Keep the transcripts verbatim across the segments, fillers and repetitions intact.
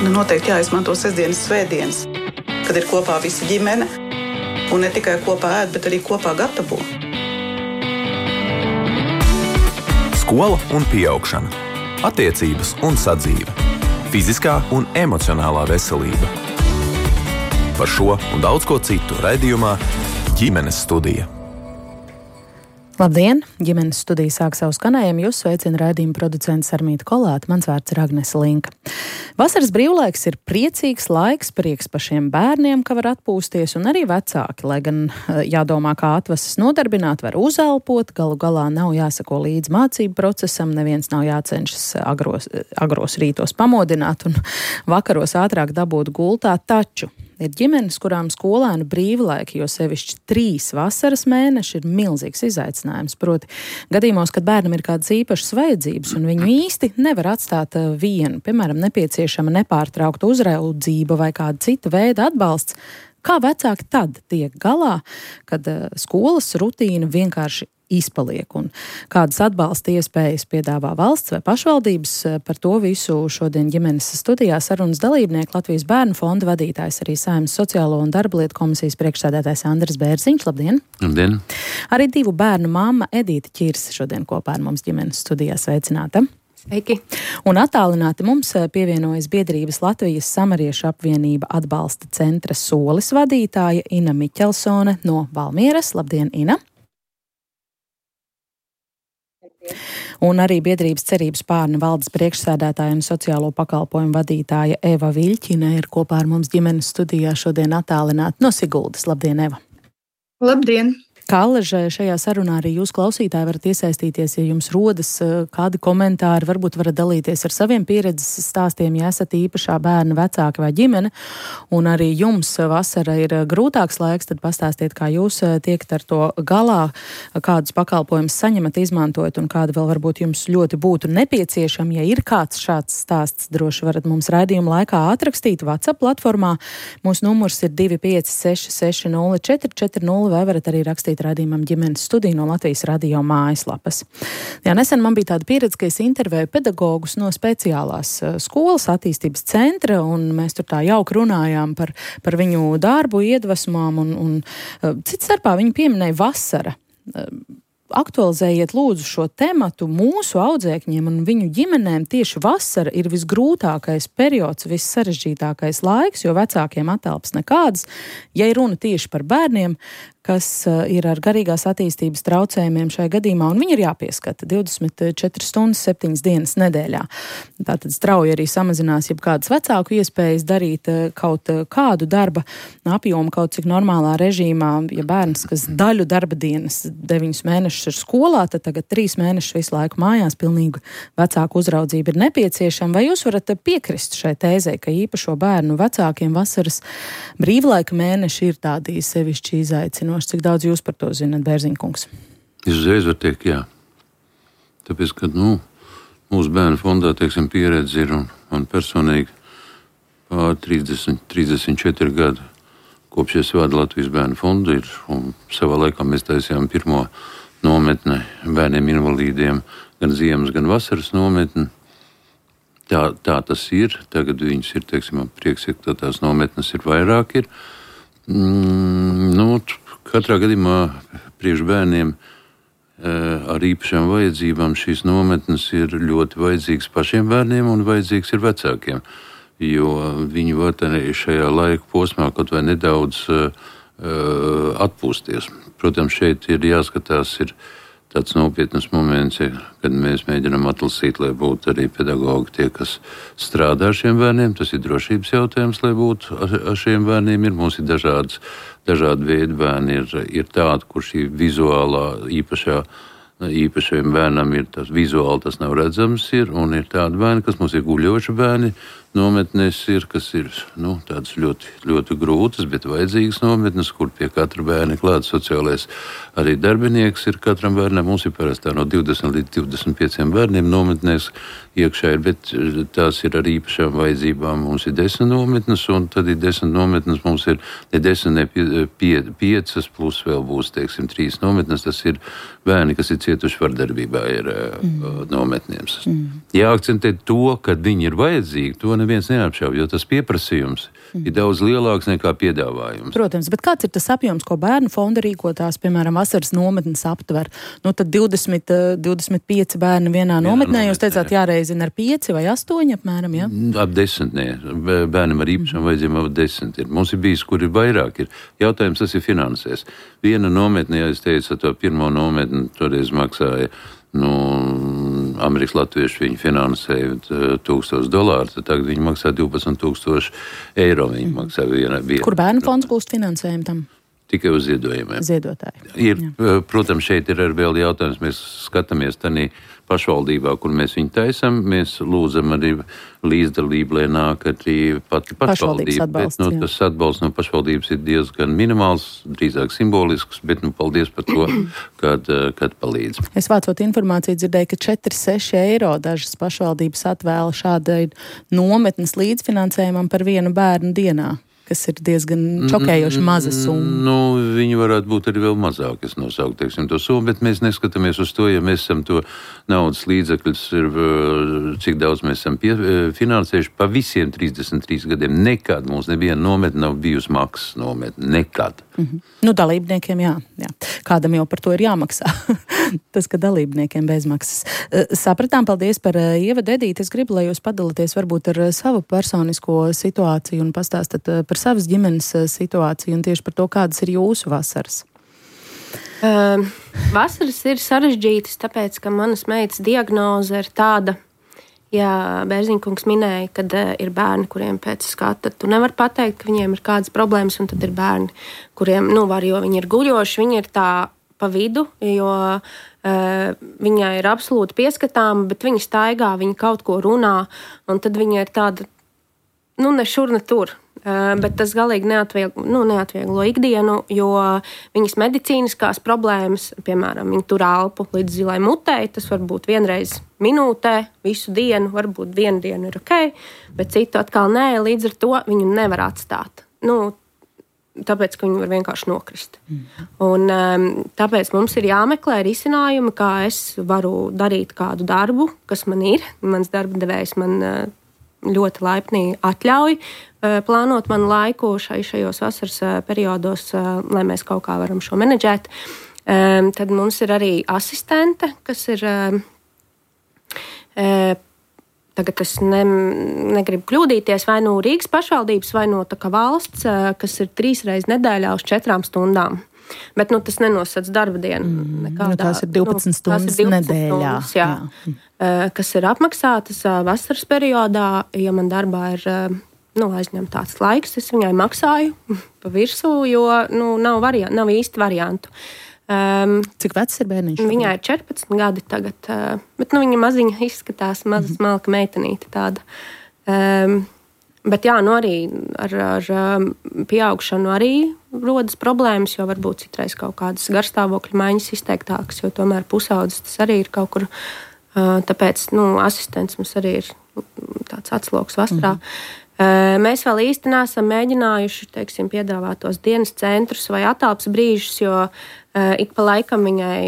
Nu, noteikti jāizmanto sestdienas, svētdienas, kad ir kopā visa ģimene. Un ne tikai kopā ēd, bet arī kopā gatavo. Skola un pieaugšana. Attiecības un sadzīve. Fiziskā un emocionālā veselība. Par šo un daudz ko citu raidījumā Ģimenes studija. Labdien! Ģimenes studija sāk savu skanējumu. Jūs sveicina raidījuma producents Armīta Kolāte. Mans vārds ir Agnese Linka. Vasaras brīvlaiks ir priecīgs laiks, prieks pašiem bērniem, ka var atpūsties, un arī vecāki, lai gan jādomā, kā atvases nodarbināt, var uzelpot, galu galā nav jāsako līdz mācību procesam, neviens nav jācenšas agros, agros rītos pamodināt un vakaros ātrāk dabūt gultā, taču ir ģimenes, kurām skolēnu brīvlaiki, jo sevišķi trīs vasaras mēneši ir milzīgs izaicinājums. Proti, gadījumos, kad bērnam ir kādas īpašas vajadzības un viņu īsti nevar atstāt vienu, piemēram, nepieciešama nepārtraukta uzraudzība vai kāda cita veida atbalsts, kā vecāki tad tiek galā, kad skolas rutīna vienkārši izpaliek un kādas atbalsta iespējas piedāvā valsts vai pašvaldības. Par to visu šodien ģimenes studijā sarunas dalībnieki Latvijas Bērnu fonda vadītājs, arī Saeimas Sociālo un darba lietu komisijas priekšsēdētājs Andris Bērziņš. Labdien! Labdien! Arī divu bērnu mamma Edīte Ķirse šodien kopā ar mums ģimenes studijā. Sveicināta! Sveiki! Un attālināti mums pievienojas biedrības Latvijas Samariešu apvienība atbalsta centra Solis vadītāja Ina Miķelsone no Valmieras. Labdien, Ina! Un arī biedrības Cerības Pārne valdes priekšsēdētāja un sociālo pakalpojumu vadītāja Eva Viļķina ir kopā ar mums ģimenes studijā šodien attālināti no Siguldas. Labdien, Eva! Labdien! Kā allažē šajā sarunā arī jūs klausītāji varat iesaistīties, ja jums rodas kādi komentāri, varbūt varat dalīties ar saviem pieredzes stāstiem, ja esat īpašā bērna vecāki vai ģimene, un arī jums vasara ir grūtāks laiks, tad pastāstiet, kā jūs tiekat ar to galā, kādus pakalpojumus saņemat, izmantojat, un kādi vēl varbūt jums ļoti būtu nepieciešami. Ja ir kāds šāds stāsts, droši varat mums raidījuma laikā atrakstīt WhatsApp platformā. Mūsu numurs ir divi pieci seši seši nulle četri četri nulle, vai varat arī rakstīt raidījumam ģimenes studiju no Latvijas radio mājaslapas. Jā, nesen man bija tāda pieredze, ka es intervēju pedagogus no speciālās skolas attīstības centra, un mēs tur tā jauki runājām par, par viņu darbu, iedvesmām, un, un cits starpā viņi pieminēja vasara. Aktualizējiet lūdzu šo tematu mūsu audzēkņiem un viņu ģimenēm. Tieši vasara ir visgrūtākais periods, vissarežģītākais laiks, jo vecākiem atelpas nekādas. Ja ir runa tieši par bērniem, kas ir ar garīgās attīstības traucējumiem šai gadījumā, un viņi ir jāpieskata divdesmit četras stundas, septiņas dienas nedēļā. Tātad strauji arī samazinās jebkādas vecāku iespējas darīt kaut kādu darba apjomu, kaut cik normālā režīmā. Ja bērns, kas daļu darba dienas, deviņus mēnešus ir skolā, tad tagad trīs mēnešus visu laiku mājās, pilnīgi vecāku uzraudzība ir nepieciešama. Vai jūs varat piekrist šai tēzei, ka īpašo bērnu vecākiem vasaras brīvlaika mēneši ir tādi sevišķi izaicinoši? Cik daudz jūs par to zinat, Bērziņkungs? Es uzreiz varu teikt, jā. Tāpēc, ka, nu, mūsu bērnu fondā, teiksim, pieredze ir un, un personīgi pār trīsdesmit, trīsdesmit četri gadi, kopš es vadu Latvijas Bērnu fondu ir, un savā laikā mēs taisījām pirmo nometni bērniem invalīdiem, gan ziemas, gan vasaras nometni. Tā, tā tas ir. Tagad viņas ir, teiksim, prieks, ka tās nometnes ir vairāk ir. Mm, nu, katrā gadījumā priekš bērniem e, ar īpašām vajadzībām šīs nometnes ir ļoti vajadzīgas pašiem bērniem un vajadzīgs ir vecākiem, jo viņi var šajā laika posmā kaut vai nedaudz e, atpūsties. Protams, šeit ir jāskatās, ir tāds nopietnas moments, kad mēs mēģinām atlasīt, lai būtu arī pedagogi tie, kas strādā ar šiem bērniem. Tas ir drošības jautājums, lai būtu ar šiem bērniem. Ir, mums ir dažādas, dažādi veidi bērni. Ir, ir tādi, kur šī vizuālā īpašā, īpašajiem bērnam ir tas vizuāli, tas nav redzams, ir, un ir tādi bērni, kas mums ir guļoši bērni, nometnēs ir, kas ir, nu, tādas ļoti, ļoti grūtas, bet vajadzīgas nometnes, kur pie katra bērna klāt sociālais arī darbinieks ir katram bērnam. Mums ir parasti no divdesmit līdz divdesmit pieciem bērniem nometnēs iekšā ir, bet tās ir ar īpašām vajadzībām. Mums ir desmit nometnes, un tad ir desmit nometnes, mums ir ne desmit, ne pie, pie, piecas, plus vēl būs, teiksim, trīs nometnes. Tas ir bērni, kas ir cietuši vardarbībā, ir mm. nometnēm. Mm. Jāakcentē to, ka viņi ir vajadzīgi, to neviens neapšauj, jo tas pieprasījums mm. ir daudz lielāks nekā piedāvājums. Protams, bet kāds ir tas apjoms, ko bērnu fonda rīkotās, piemēram, vasaras nometnes aptver? Nu, tad divdesmit, divdesmit pieci bērni vienā vienā nometnē, jūs teicāt, jāreizina ar pieci vai astoņi apmēram, ja? Ap desmit, nē. Bērnam ar īpašām vajadzībām ap desmit ir. Mums ir bijis, kur ir vairāk ir. Jautājums, tas ir finansēs. Viena nometne, ja es teicu, to pirmo nometni toreiz maksāja, nu, Amerikas latvieši viņi finansēja tūkstoši dolāru, tad tagad viņi maksā divpadsmit tūkstoši eiro. Viņi mm. maksā viena, viena. Kur bērnu fonds būs finansējumu tam? Tikai uz ziedojumiem. Ziedotāji. Ir, jā. Protams, šeit ir arī vēl jautājums, mēs skatāmies tanī pašvaldībā, kur mēs viņu taisam, mēs lūdzam arī līdzdalību, lai nāk arī pati pašvaldība. Atbalsts, bet, nu, tas atbalsts no pašvaldības ir diezgan minimāls, drīzāk simbolisks, bet, nu, paldies par to, kad, kad palīdz. Es vācot informāciju dzirdēju, ka četri seši eiro dažas pašvaldības atvēla šādai nometnes līdzfinansējumam par vienu bērnu dienā, kas ir diezgan šokējoši maza summa. Nu, viņi varētu būt arī vēl mazāk, es nosauku, teiksim, to summu, bet mēs neskatāmies uz to, ja mēs esam to naudas līdzekļus, ir, cik daudz mēs esam pie, finansējuši pa visiem trīsdesmit trīs gadiem. Nekad mums neviena nometne nav bijusi maksas nometne. Nekad. Mm-hmm. Nu, dalībniekiem jā, jā. Kādam jau par to ir jāmaksā. Tas, ka dalībniekiem bezmaksas. Sapratām, paldies par ievadu, Edīte. Es gribu, lai jūs padalāties varbūt ar savu personisko situāciju un pastāstat par savas ģimenes situāciju un tieši par to, kādas ir jūsu vasaras. Uh, vasaras ir sarežģītas, tāpēc, ka manas meitas diagnoze ir tāda, ja Bērziņkungs minēja, kad uh, ir bērni, kuriem pēc skata tu nevar pateikt, ka viņiem ir kādas problēmas, un tad ir bērni, kuriem, nu, var, jo viņi ir guļoši, viņi ir tā pa vidu, jo uh, viņai ir absolūti pieskatāma, bet viņa staigā, viņa kaut ko runā, un tad viņa ir tāda, nu, ne šur, ne tur. Uh, bet tas galīgi neatvieglo, nu, neatvieglo ikdienu, jo viņas medicīniskās problēmas, piemēram, viņa tur elpu līdz zilai mutei, tas var būt vienreiz minūtē, visu dienu, varbūt vienu dienu ir ok, bet citu atkal nē, līdz ar to viņu nevar atstāt. Nu, tāpēc, ka viņi var vienkārši nokrist. Mm. Un um, tāpēc mums ir jāmeklē risinājumi, kā es varu darīt kādu darbu, kas man ir. Mans darba devējs man uh, ļoti laipni atļauj uh, plānot manu laiku šai, šajos vasaras uh, periodos, uh, lai mēs kaut kā varam šo menedžēt. Um, tad mums ir arī asistente, kas ir uh, uh, tagad es ne, negribu kļūdīties, vai no Rīgas pašvaldības, vai no tā kā valsts, uh, kas ir trīs reizes nedēļā uz četrām stundām. Bet nu, tas nenosacīts darba dienu. Mm, nekādā, nu, tās ir divpadsmit stundas nu, divpadsmit nedēļā. Stundas, jā, jā. Uh, kas ir apmaksātas uh, vasaras periodā, ja man darbā ir uh, nu, aizņemts tāds laiks, es viņai maksāju pa virsū, jo nu, nav, variant, nav īsti variantu. Um, Cik vecs ir bērniņš? Viņai ir četrpadsmit gadi tagad, uh, bet nu, viņa maziņa izskatās, maza smalka meitenīte tāda. Um, Bet jā, nu arī ar, ar pieaugšanu arī rodas problēmas, jo varbūt citreiz kaut kādas garstāvokļa maiņas izteiktākas, jo tomēr pusaudzes tas arī ir kaut kur, tāpēc, nu, asistents mums arī ir tāds atsloks vasarā. Mm. Mēs vēl īsti neesam mēģinājuši, teiksim, piedāvāt tos dienas centrus vai atāps brīžus, jo ik pa laikam viņai,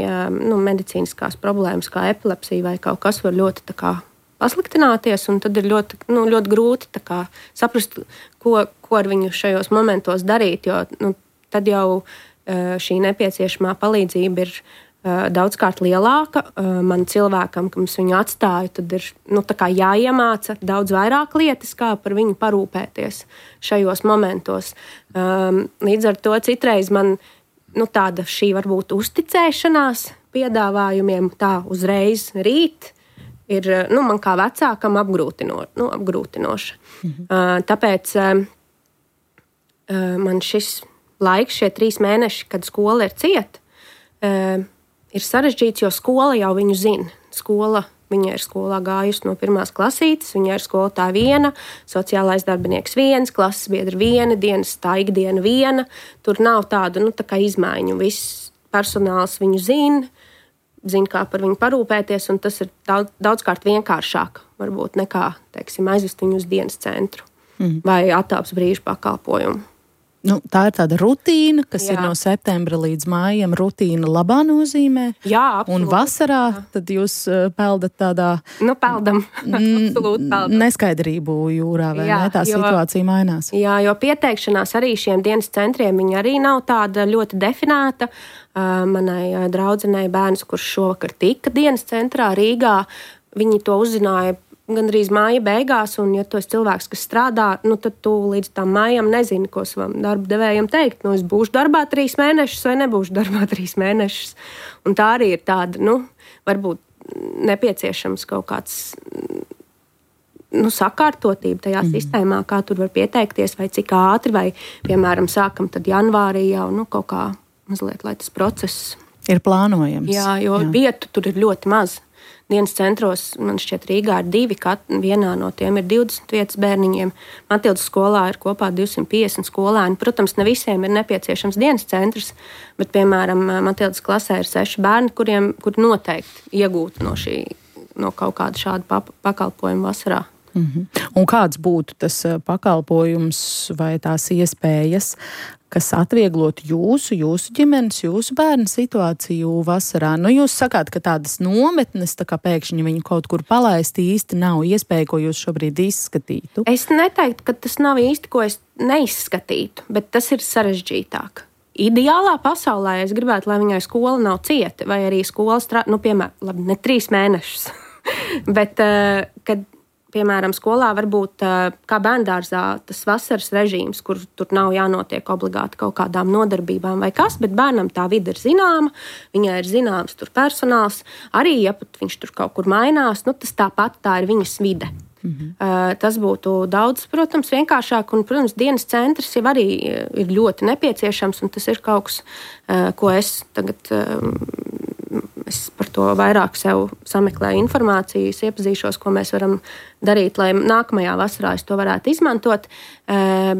nu, medicīniskās problēmas kā epilepsija vai kaut kas var ļoti tā kā pasliktināties, un tad ir ļoti, nu, ļoti grūti tā kā saprast, ko, ko ar viņu šajos momentos darīt, jo nu, tad jau šī nepieciešamā palīdzība ir daudzkārt lielāka. Man cilvēkam, kam es viņu atstāju, tad ir nu, tā kā jāiemāca daudz vairāk lietas, kā par viņu parūpēties šajos momentos. Līdz ar to citreiz man nu, tāda šī varbūt uzticēšanās piedāvājumiem tā uzreiz rīt, ir nu, man kā vecākam apgrūtino, nu, apgrūtinoša. Mhm. Uh, tāpēc uh, man šis laiks, šie trīs mēneši, kad skola ir cieta, uh, ir sarežģīts, jo skola jau viņu zina. Skola, viņa ir skolā gājusi no pirmās klasītes, viņa ir skolotāja viena, sociālais darbinieks viens, klases biedra viena, dienas tā ikdiena viena. Tur nav tādu nu, tā kā izmaiņu. Viss personāls viņu zina, zina, kā par viņu parūpēties, un tas ir daudz, daudzkārt vienkāršāk, varbūt nekā, teiksim, aizvest viņu uz dienas centru mm. vai atāps brīžu pakalpojumu. Nu, tā ir tāda rutīna, kas Jā. ir no septembra līdz mājam. Rutīna labā nozīmē. Jā, absolūti. Un vasarā tad jūs uh, peldat tādā... Nu, peldam. Absolūti peldam. Neskaidrību jūrā, vai Jā, ne? Tā jo, situācija mainās. Jā, jo pieteikšanās arī šiem dienas centriem, viņa arī nav tāda ļoti definēta. Uh, manai uh, draudzenei bērns, kurš šovakar tika dienas centrā Rīgā, viņi to uzzināja gandrīz māja beigās, un ja tu esi cilvēks, kas strādā, nu tad tu līdz tam mājam nezini, ko savam darba devējam teikt. Nu, es būšu darbā trīs mēnešus vai nebūšu darbā trīs mēnešus. Un tā arī ir tāda, nu, varbūt nepieciešams kaut kāds, nu, sakārtotība tajā mm. sistēmā, kā tur var pieteikties, vai cik ātri, vai, piemēram, sākam tad janvārī jau, nu, kaut kā mazliet, lai tas process ir plānojams. Jā, jo Jā. vietu tur ir ļoti maz. Dienas centros, man šķiet, Rīgā ir divi, kat, vienā no tiem ir divdesmit vietas bērniņiem. Matildas skolā ir kopā divsimt piecdesmit skolēni. Protams, ne visiem ir nepieciešams dienas centrs, bet, piemēram, Matildas klasē ir seši bērni, kuriem kur noteikti iegūt no, šī, no kaut kāda šāda pap- pakalpojuma vasarā. Mm-hmm. Un kāds būtu tas pakalpojums vai tās iespējas, kas atvieglotu jūsu, jūsu ģimenes, jūsu bērnu situāciju vasarā? Nu, jūs sakāt, ka tādas nometnes, tā kā pēkšņi viņu kaut kur palaist, īsti nav iespēja, ko jūs šobrīd izskatītu? Es neteiktu, ka tas nav īsti, ko es neizskatītu, bet tas ir sarežģītāk. Ideālā pasaulē es gribētu, lai viņai skola nav cieta, vai arī skola strādā, nu, piemēram, labi, ne trīs mēnešus, bet, uh, kad piemēram, skolā varbūt kā bērndārzā tas vasaras režīms, kur tur nav jānotiek obligāti kaut kādām nodarbībām vai kas, bet bērnam tā vide ir zināma, viņai ir zināms tur personāls, arī, ja pat viņš tur kaut kur mainās, nu tas tāpat tā ir viņas vide. Mm-hmm. Uh, tas būtu daudz, protams, vienkāršāk, un, protams, dienas centrs jau arī ir ļoti nepieciešams, un tas ir kaut kas, uh, ko es tagad... Uh, Es par to vairāk sev sameklēju informāciju, iepazīšos, ko mēs varam darīt, lai nākamajā vasarā es to varētu izmantot.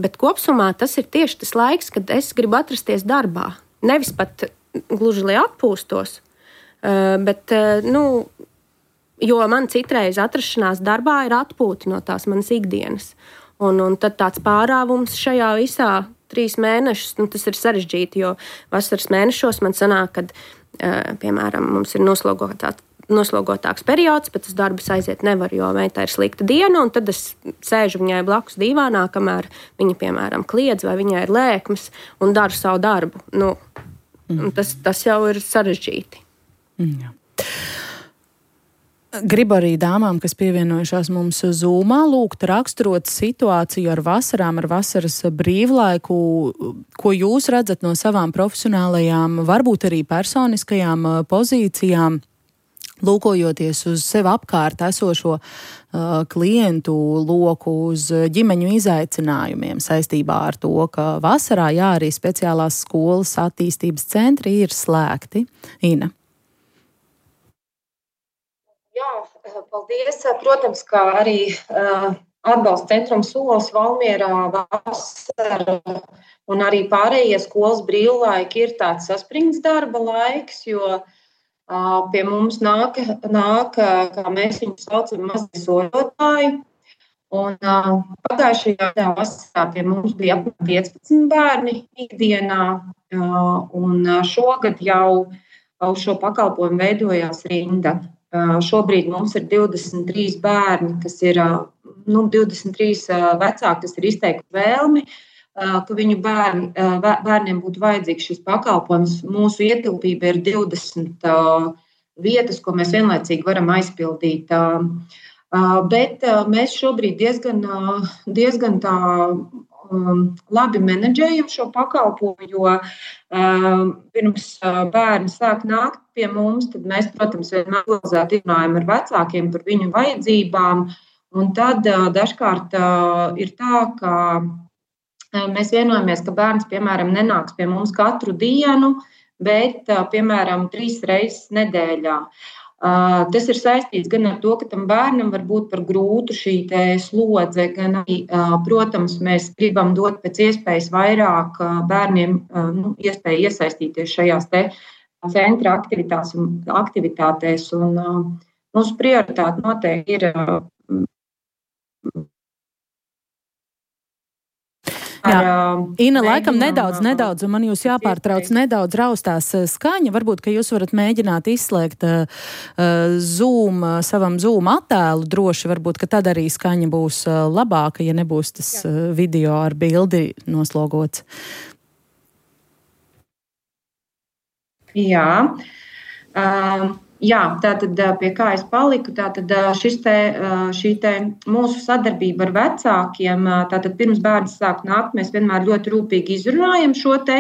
Bet kopsumā tas ir tieši tas laiks, kad es gribu atrasties darbā. Nevis pat gluži, lai atpūstos, bet, nu, jo man citreiz atrašanās darbā ir atpūta no tās manas ikdienas. Un, un tad tāds pārāvums šajā visā trīs mēnešus, nu, tas ir sarežģīti, jo vasaras mēnešos man sanāk, kad piemēram, mums ir noslogotāks, noslogotāks periods, bet tas darbs aiziet nevar, jo meitai ir slikta diena, un tad es sēžu viņai blakus dīvānā, kamēr viņa, piemēram, kliedz vai viņai ir lēkmes un daru savu darbu. Nu, mm. tas, tas jau ir sarežģīti. Mm, jā. Gribu arī dāmām, kas pievienojušās mums Zoomā, lūgt raksturot situāciju ar vasarām, ar vasaras brīvlaiku, ko jūs redzat no savām profesionālajām, varbūt arī personiskajām pozīcijām, lūkojoties uz sev apkārt esošo uh, klientu loku, uz ģimeņu izaicinājumiem saistībā ar to, ka vasarā, jā, arī speciālās skolas attīstības centri ir slēgti. Ina. Jā, paldies. Protams, kā arī uh, atbalsta centrums Solis, Valmierā, vasara un arī pārējie skolas brīvlaiki ir tāds saspringts darba laiks, jo uh, pie mums nāk, nāk, kā mēs viņu saucam, mazie soļotāji. Un uh, pagājušajā gadā vasarā pie mums bija apmēram piecpadsmit bērni ikdienā, uh, un šogad jau uz šo pakalpojumu veidojās rinda. Uh, šobrīd mums ir divdesmit trīs bērni, kas ir nu, divdesmit trīs uh, vecāki, kas ir izteikuši vēlmi, uh, ka viņu bērni, uh, bērniem būtu vajadzīgs šis pakalpojums. Mūsu ietilpība ir divdesmit uh, vietas, ko mēs vienlaicīgi varam aizpildīt. Uh, uh, bet uh, mēs šobrīd diezgan, uh, diezgan tā um, labi menedžējam šo pakalpojumu, jo uh, pirms uh, bērni sāk nākt pie mums, tad mēs, protams, vienmēr organizēti runājam ar vecākiem par viņu vajadzībām, un tad uh, dažkārt uh, ir tā, ka uh, mēs vienojamies, ka bērns, piemēram, nenāks pie mums katru dienu, bet, uh, piemēram, trīs reizes nedēļā. Uh, tas ir saistīts gan ar to, ka tam bērnam var būt par grūtu šī te slodze, gan arī, uh, protams, mēs gribam dot pēc iespējas vairāk uh, bērniem uh, nu, iespēju iesaistīties šajās te centra aktivitātēs un, aktivitātēs, un uh, mūsu prioritāte noteikti ir uh, Jā, Ina, laikam nedaudz, nedaudz, un man jūs jāpārtrauc nedaudz raustās skaņa. Varbūt, ka jūs varat mēģināt izslēgt uh, Zoom, savam Zoom attēlu droši, varbūt, ka tad arī skaņa būs uh, labāka, ja nebūs tas uh, video ar bildi noslogots. Jā. Uh... Jā, tātad pie kā es paliku, tātad šis te, šī te mūsu sadarbība ar vecākiem, tātad pirms bērns sāk nākt, mēs vienmēr ļoti rūpīgi izrunājam šo te,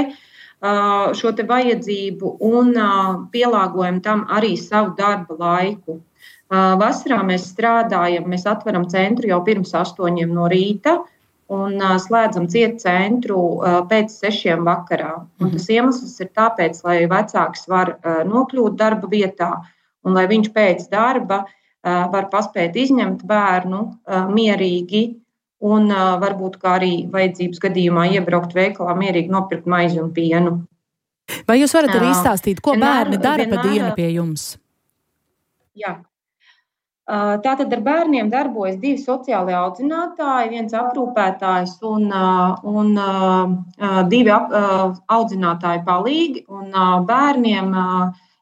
šo te vajadzību un pielāgojam tam arī savu darba laiku. Vasarā mēs strādājam, mēs atveram centru jau pirms astoņiem no rīta un slēdzam ciet centru pēc sešiem vakarā. Un tas iemesls ir tāpēc, lai vecāks var nokļūt darba vietā un lai viņš pēc darba var paspēt izņemt bērnu mierīgi un varbūt kā arī vajadzības gadījumā iebraukt veikalā mierīgi nopirkt maizi un pienu. Vai jūs varat arī izstāstīt, ko bērni dara pa dienu pie jums? Jā. Tātad ar bērniem darbojas divi sociāli audzinātāji, viens aprūpētājs un, un divi audzinātāji palīgi. Un bērniem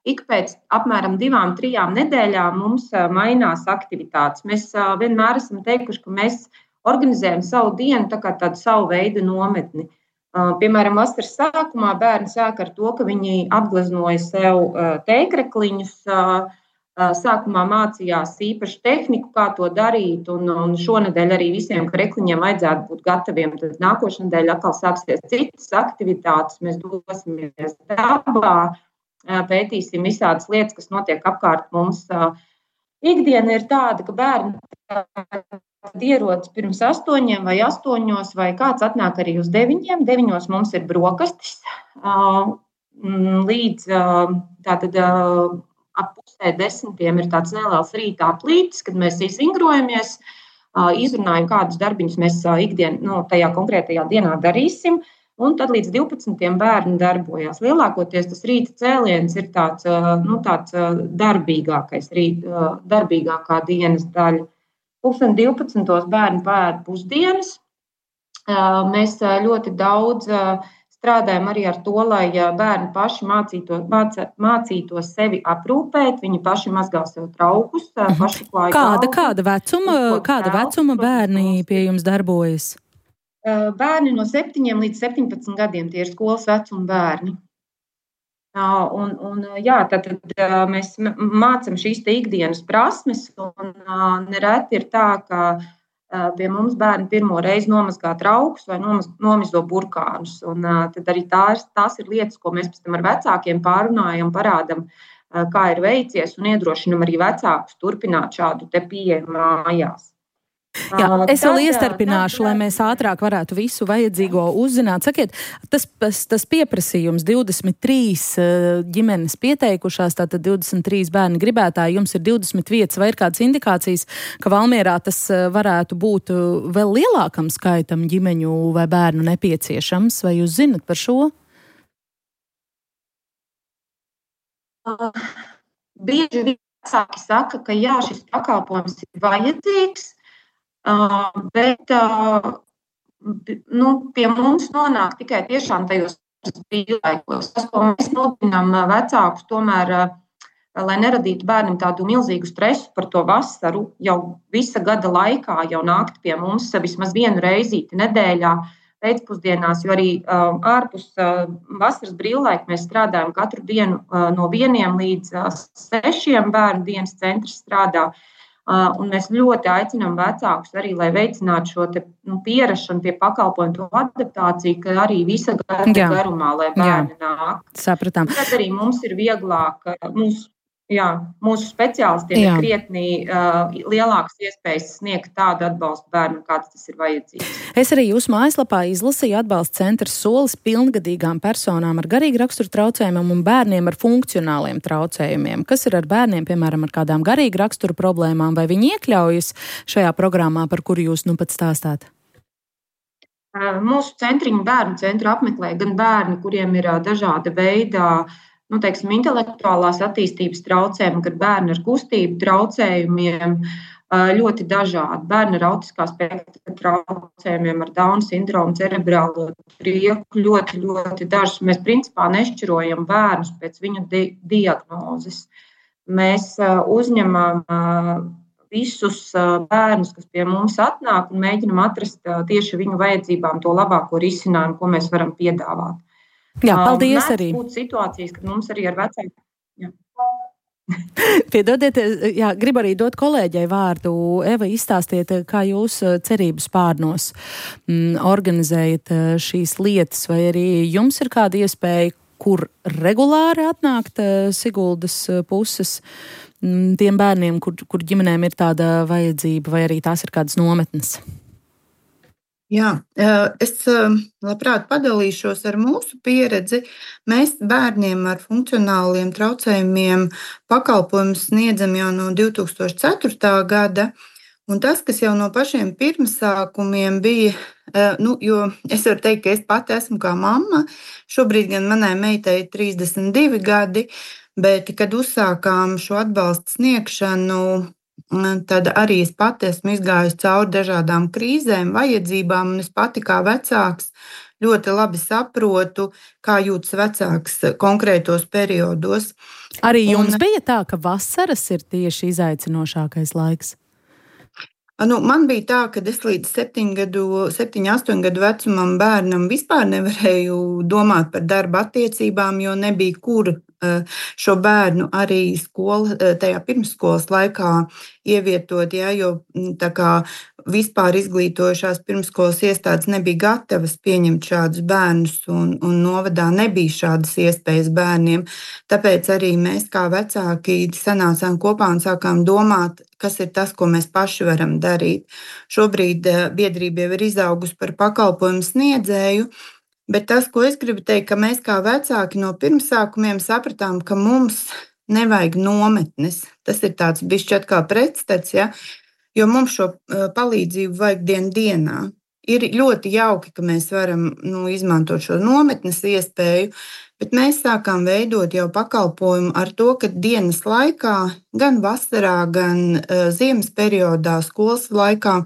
ik pēc apmēram divām, trijām nedēļām mums mainās aktivitātes. Mēs vienmēr esam teikuši, ka mēs organizējam savu dienu tā kā tādu savu veidu nometni. Piemēram, vasaras sākumā bērni sāk ar to, ka viņi apgleznoja sev tēkrekliņus. Sākumā mācījās īpašu tehniku, kā to darīt, un, un šonedēļ arī visiem krekliņiem vajadzētu būt gataviem. Tad nākošnedēļ atkal sāksies citas aktivitātes, mēs dosimies dabā, pētīsim visādas lietas, kas notiek apkārt mums. Ikdiena ir tāda, ka bērni ierodas pirms astoņiem vai astoņos, vai kāds atnāk arī uz deviņiem. Deviņos mums ir brokastis, līdz tātad ap pusē desmitiem ir tāds neliels rīta aplītis, kad mēs izvingrojamies, izrunājam, kādus darbiņus mēs ikdien, nu, tajā konkrētajā dienā darīsim, un tad līdz divpadsmitiem bērni darbojās. Lielākoties tas rīta cēliens ir tāds, nu, tāds darbīgākais, rīta, darbīgākā dienas daļa. Pulksten divpadsmitos bērni pēd pusdienas. Mēs ļoti daudz strādājam arī ar to, lai bērni paši mācītos, mācītos sevi aprūpēt, viņi paši mazgā sev traukus, paši klāja kāda, kāda vecuma, kāda vecuma bērni pie jums darbojas? Bērni no septiņiem līdz septiņpadsmit gadiem, tie ir skolas vecuma bērni. Un, un, jā, tad, tad mēs mācam šīs te ikdienas prasmes, un nereti ir tā, ka pie mums bērni pirmo reizi nomazgā traukus vai nomizo burkānus. Un tad arī tās, tās ir lietas, ko mēs pēc tam ar vecākiem pārunājam, parādam, kā ir veicies, un iedrošinam arī vecākus turpināt šādu te pieeju mājās. Jā, es vēl iestarpināšu, lai mēs ātrāk varētu visu vajadzīgo uzzināt. Sakiet, tas, tas pieprasījums divdesmit trīs ģimenes pieteikušās, tātad divdesmit trīs bērni gribētāji, jums ir divdesmit vietas, vai ir kādas indikācijas, ka Valmierā tas varētu būt vēl lielākam skaitam ģimeņu vai bērnu nepieciešams, vai jūs zinat par šo? Uh, bieži vecāki saka, ka jā, šis pakalpojums ir vajadzīgs, Uh, bet uh, nu, pie mums nonāk tikai tiešām tajos brīvlaikos. Tas, ko mēs mudinām vecākus, tomēr, uh, lai neradītu bērnam tādu milzīgu stresu par to vasaru, jau visa gada laikā jau nākt pie mums vismaz vienu reizīti nedēļā pēcpusdienās, jo arī uh, ārpus uh, vasaras brīvlaika mēs strādājam katru dienu uh, no vieniem līdz uh, sešiem bērnu dienas centrs strādā. Uh, un mēs ļoti aicinām vecākus arī, lai veicinātu šo te, nu, pierašanu pie pakalpojumu, to adaptāciju, ka arī visa gada jā. garumā, lai bērni jā. nāk. Sapratām. Tad arī mums ir vieglāk, mūsu, jā, mūsu speciālistiem jā. ir krietni uh, lielākas iespējas sniegt tādu atbalstu bērnam, kāds tas ir vajadzīgs. Es arī jūsu mājaslapā izlasīju atbalsta centrs solis pilngadīgām personām ar garīgu raksturu traucējumiem un bērniem ar funkcionāliem traucējumiem. Kas ir ar bērniem, piemēram, ar kādām garīgu raksturu problēmām, vai viņi iekļaujas šajā programmā, par kuru jūs nu pat stāstāt? Mūsu centriņu bērnu centru apmeklē gan bērni, kuriem ir dažāda veida nu, teiksim, intelektuālās attīstības traucējumi, gan bērni ar kustību traucējumiem, ļoti dažādi. Bērni ar autiskā spektra traucējumiem, ar Dauna sindromu, cerebrālo trieku ļoti, ļoti dažs. Mēs principā nešķirojam bērnus pēc viņu di- diagnozes. Mēs uzņemam visus bērnus, kas pie mums atnāk, un mēģinam atrast tieši viņu vajadzībām to labāko risinājumu, ko mēs varam piedāvāt. Jā, paldies Mēdz arī. būt situācijas, kad mums arī ar vecākiem. Jā. Piedodiet, jā, gribu arī dot kolēģei vārdu. Eva, izstāstiet, kā jūs cerības pārnos m, organizējat šīs lietas, vai arī jums ir kāda iespēja, kur regulāri atnākt Siguldas puses m, tiem bērniem, kur, kur ģimenēm ir tāda vajadzība, vai arī tās ir kādas nometnes? Jā, es labprāt padalīšos ar mūsu pieredzi. Mēs bērniem ar funkcionāliem traucējumiem pakalpojumus sniedzam jau no divi tūkstoši ceturtā gada. Un tas, kas jau no pašiem pirmsākumiem bija, nu, jo es varu teikt, ka es pati esmu kā mamma, šobrīd gan manai meitai ir trīsdesmit divi gadi, bet, kad uzsākām šo atbalstu sniegšanu, tad arī es pati esmu izgājusi cauri dažādām krīzēm, vajadzībām, un es pati kā vecāks ļoti labi saprotu, kā jūtas vecāks konkrētos periodos. Arī jums un, bija tā, ka vasaras ir tieši izaicinošākais laiks? Nu, man bija tā, ka es līdz septiņu, astoņu gadu vecumam bērnam vispār nevarēju domāt par darba attiecībām, jo nebija kur šo bērnu arī skola, tajā pirmsskolas laikā ievietot, ja, jo tā kā vispār izglītojušās pirmsskolas iestādes nebija gatavas pieņemt šādus bērnus, un, un novadā nebija šādas iespējas bērniem. Tāpēc arī mēs kā vecāki sanācām kopā un sākām domāt, kas ir tas, ko mēs paši varam darīt. Šobrīd biedrība jau ir izaugusi par pakalpojumu sniedzēju, bet tas, ko es gribu teikt, ka mēs kā vecāki no pirmsākumiem sapratām, ka mums nevajag nometnes. Tas ir tāds bišķi atkal pretstats, ja? Jo mums šo palīdzību vajag dien dienā. Ir ļoti jauki, ka mēs varam nu, izmantot šo nometnes iespēju, bet mēs sākām veidot jau pakalpojumu ar to, ka dienas laikā, gan vasarā, gan uh, ziemas periodā, skolas laikā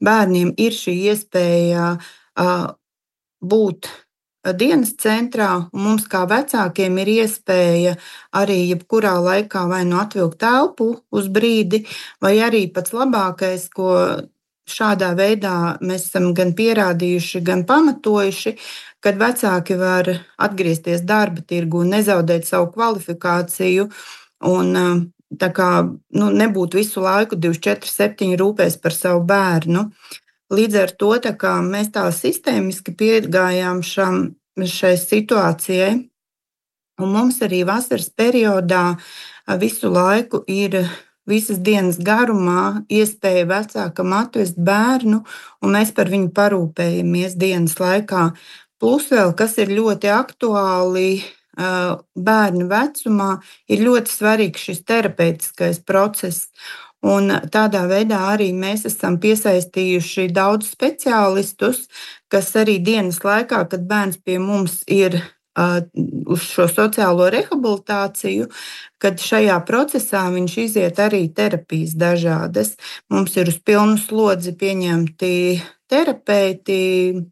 bērniem ir šī iespēja uh, būt dienas centrā, un mums kā vecākiem ir iespēja arī jebkurā laikā vai nu atvilkt telpu uz brīdi, vai arī pats labākais, ko šādā veidā mēs esam gan pierādījuši, gan pamatojuši, kad vecāki var atgriezties darba tirgu un nezaudēt savu kvalifikāciju un tā kā nu, nebūt visu laiku divdesmit četri septiņi rūpēs par savu bērnu. Līdz ar to tā kā mēs tā sistēmiski piegājām šam, šai situācijai, un mums arī vasaras periodā visu laiku ir visas dienas garumā iespēja vecākam atvest bērnu, un mēs par viņu parūpējamies dienas laikā. Plus vēl, kas ir ļoti aktuāli bērnu vecumā, ir ļoti svarīgs šis terapeitiskais process. Un tādā veidā arī mēs esam piesaistījuši daudz speciālistus, kas arī dienas laikā, kad bērns pie mums ir uh, uz šo sociālo rehabilitāciju, kad šajā procesā viņš iziet arī terapijas dažādas. Mums ir uz pilnu slodzi pieņemti terapeiti,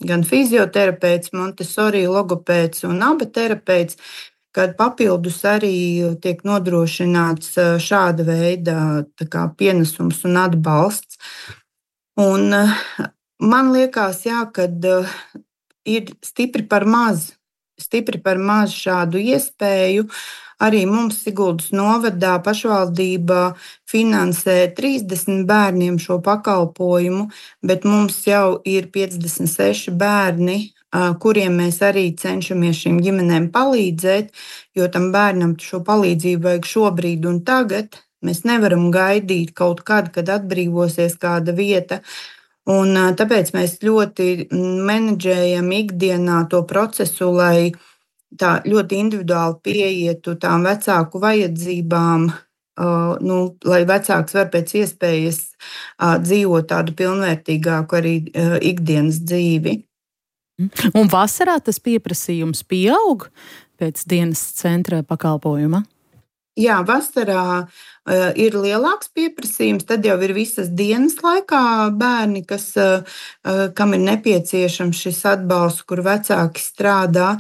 gan fizioterapeits, Montessori, logopēds un aba terapeits, kad papildus arī tiek nodrošināts šāda veida kā, pienesums un atbalsts. Un man liekas, jā, kad ir stipri par maz, stipri par maz šādu iespēju. Arī mums Siguldas novadā pašvaldība finansē trīsdesmit bērniem šo pakalpojumu, bet mums jau ir piecdesmit seši bērni, kuriem mēs arī cenšamies šīm ģimenēm palīdzēt, jo tam bērnam šo palīdzību vajag šobrīd un tagad. Mēs nevaram gaidīt kaut kad, kad atbrīvosies kāda vieta. Un tāpēc mēs ļoti menedžējam ikdienā to procesu, lai tā ļoti individuāli pieietu tām vecāku vajadzībām, uh, nu, lai vecāks var pēc iespējas uh, dzīvot tādu pilnvērtīgāku arī uh, ikdienas dzīvi. Un vasarā tas pieprasījums pieaug pēc dienas centra pakalpojuma? Jā, vasarā ir lielāks pieprasījums, tad jau ir visas dienas laikā bērni, kas, kam ir nepieciešams šis atbalsts, kur vecāki strādā.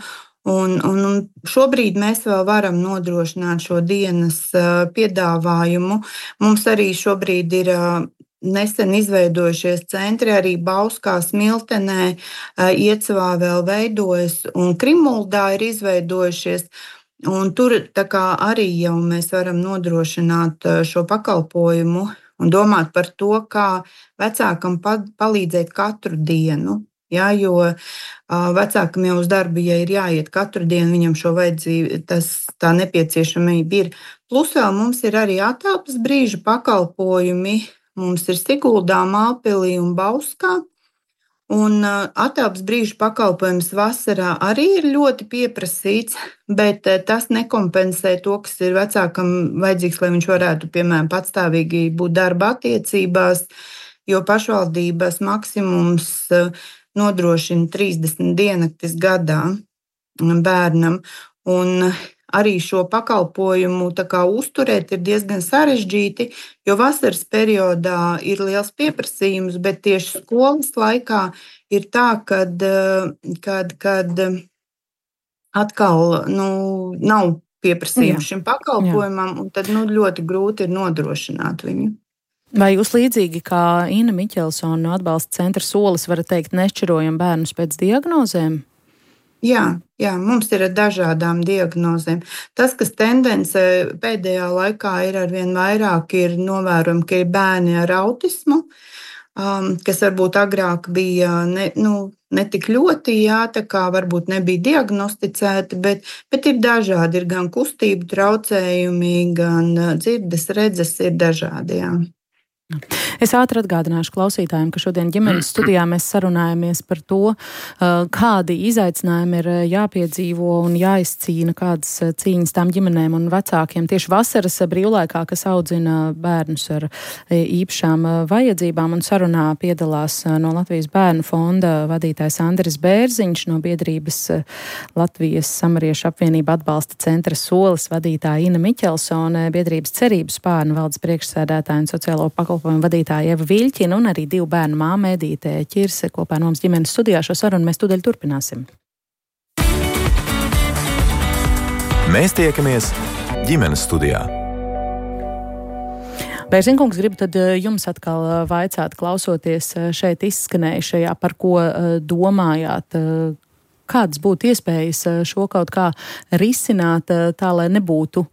Un, un, un šobrīd mēs vēl varam nodrošināt šo dienas piedāvājumu. Mums arī šobrīd ir nesen izveidojušies centri, arī Bauskā, Smiltenē, Iecavā vēl veidojas un Krimuldā ir izveidojušies. Un tur tā kā arī jau mēs varam nodrošināt šo pakalpojumu un domāt par to, kā vecākam palīdzēt katru dienu. Ja, jo vecākam jau uz darbu, ja ir jāiet katru dienu, viņam šo vajadzību, tas tā nepieciešamība ir. Plus vēl mums ir arī atelpas brīža pakalpojumi. Mums ir Siguldā, Mālpilī un Bauskā. Un atelpas brīža pakalpojums vasarā arī ir ļoti pieprasīts, bet tas nekompensē to, kas ir vecākam vajadzīgs, lai viņš varētu, piemēram, patstāvīgi būt darba attiecībās, jo pašvaldības maksimums nodrošina trīsdesmit diennaktis gadā bērnam. Un arī šo pakalpojumu tā kā uzturēt ir diezgan sarežģīti, jo vasaras periodā ir liels pieprasījums, bet tieši skolas laikā ir tā, kad, kad, kad atkal nu, nav pieprasījums šim pakalpojumam, un tad nu, ļoti grūti ir nodrošināt viņu. Vai jūs līdzīgi kā Ina Miķelsone no atbalsta centra Solis varat teikt nešķirojam bērnus pēc diagnozēm? Jā, jā, mums ir ar dažādām diagnozēm. Tas, kas tendence pēdējā laikā ir arvien vairāk, ir novērojami, ka ir bērni ar autismu, um, kas varbūt agrāk bija ne, nu, ne tik ļoti, jā, tā kā varbūt nebija diagnosticēti, bet, bet ir dažādi, ir gan kustību traucējumi, gan dzirdes, redzes ir dažādi, jā. Es ātri atgādināšu klausītājiem, ka šodien ģimenes studijā mēs sarunājamies par to, kādi izaicinājumi ir jāpiedzīvo un jāizcīna, kādas cīņas tām ģimenēm un vecākiem tieši vasaras brīvlaikā, kas audzina bērnus ar īpašām vajadzībām. Un sarunā piedalās no Latvijas bērnu fonda vadītājs Andris Bērziņš, no biedrības Latvijas Samariešu apvienība atbalsta centra Solis vadītāja Ina Miķelsone, biedrības Cerības spārna valdes priekšsēdētāja un sociālo pakalpojumu vadītāja Ieva Viļķina un arī divu bērnu māma Edīte Ķirse kopā no mums ģimenes studijā. Šo sarunu mēs tūdaļ turpināsim. Mēs tiekamies ģimenes studijā. Bērziņkungs, gribu tad jums atkal vaicāt, klausoties šeit izskanējušajā, par ko domājāt, kādas būtu iespējas šo kaut kā risināt tā, lai nebūtu,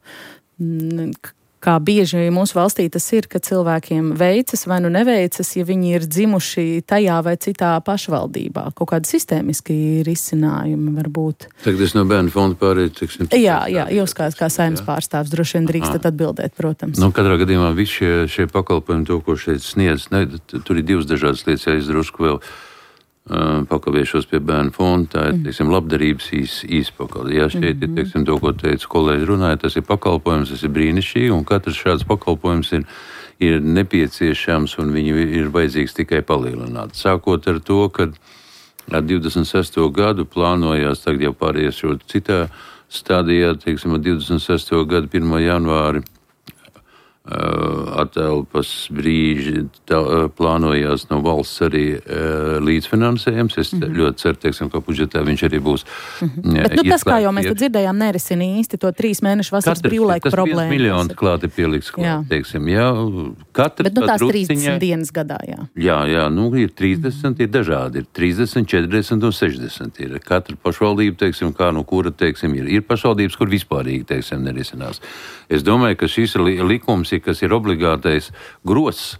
kā bieži mūsu valstī tas ir, ka cilvēkiem veicas vai nu neveicas, ja viņi ir dzimuši tajā vai citā pašvaldībā. Kaut kādi sistēmiski risinājumi varbūt. Tagad es no bērnu fonda pārēju, teiksim. Jā, jā, jūs kā, kā saimnes pārstāvs droši vien drīkstat atbildēt, protams. Nu, katrā gadījumā visi šie, šie pakalpojumi, to, ko šeit sniedz, ne, tur ir divas dažādas lietas, ja es drusku vēl pakaviešos pie bērnu fonda, tā ir, teiksim, labdarības īs, īspakaļ. Jā, šeit ir, teiksim, to, ko teica kolēģi runāja, tas ir pakalpojums, tas ir brīnišķīgi, un katrs šāds pakalpojums ir, ir nepieciešams, un viņi ir vajadzīgs tikai palielināt. Sākot ar to, ka ar divdesmit sesto gadu plānojās, tagad jau pārējās šo citā stadijā, teiksim, ar divdesmit sesto gadu pirmā janvāri, atelpas brīži tā, plānojās no valsts arī uh, līdzfinansējums. Es mm-hmm. ļoti ceru, teiksim, ka budžetā viņš arī būs. Mm-hmm. Jā, bet nu, tas, kā jau mēs te dzirdējām, nerisina īsti to trīs mēnešu vasaras brīvlaika problēmu. Tas viens miljons klāti pieliks klāt, jā. Teiksim, jā. Katrs bet nu tās trūciņā, trīsdesmit dienas gadā, jā. Jā, jā, nu ir trīsdesmit, mm-hmm. ir dažādi. Ir trīsdesmit, četrdesmit un sešdesmit. Ir katra pašvaldība, teiksim, kā no kura, teiksim, ir. Ir pašvaldības, kur vispārīgi, teiksim, nerisinās. Es domāju, ka šis likums, kas ir obligātais gross,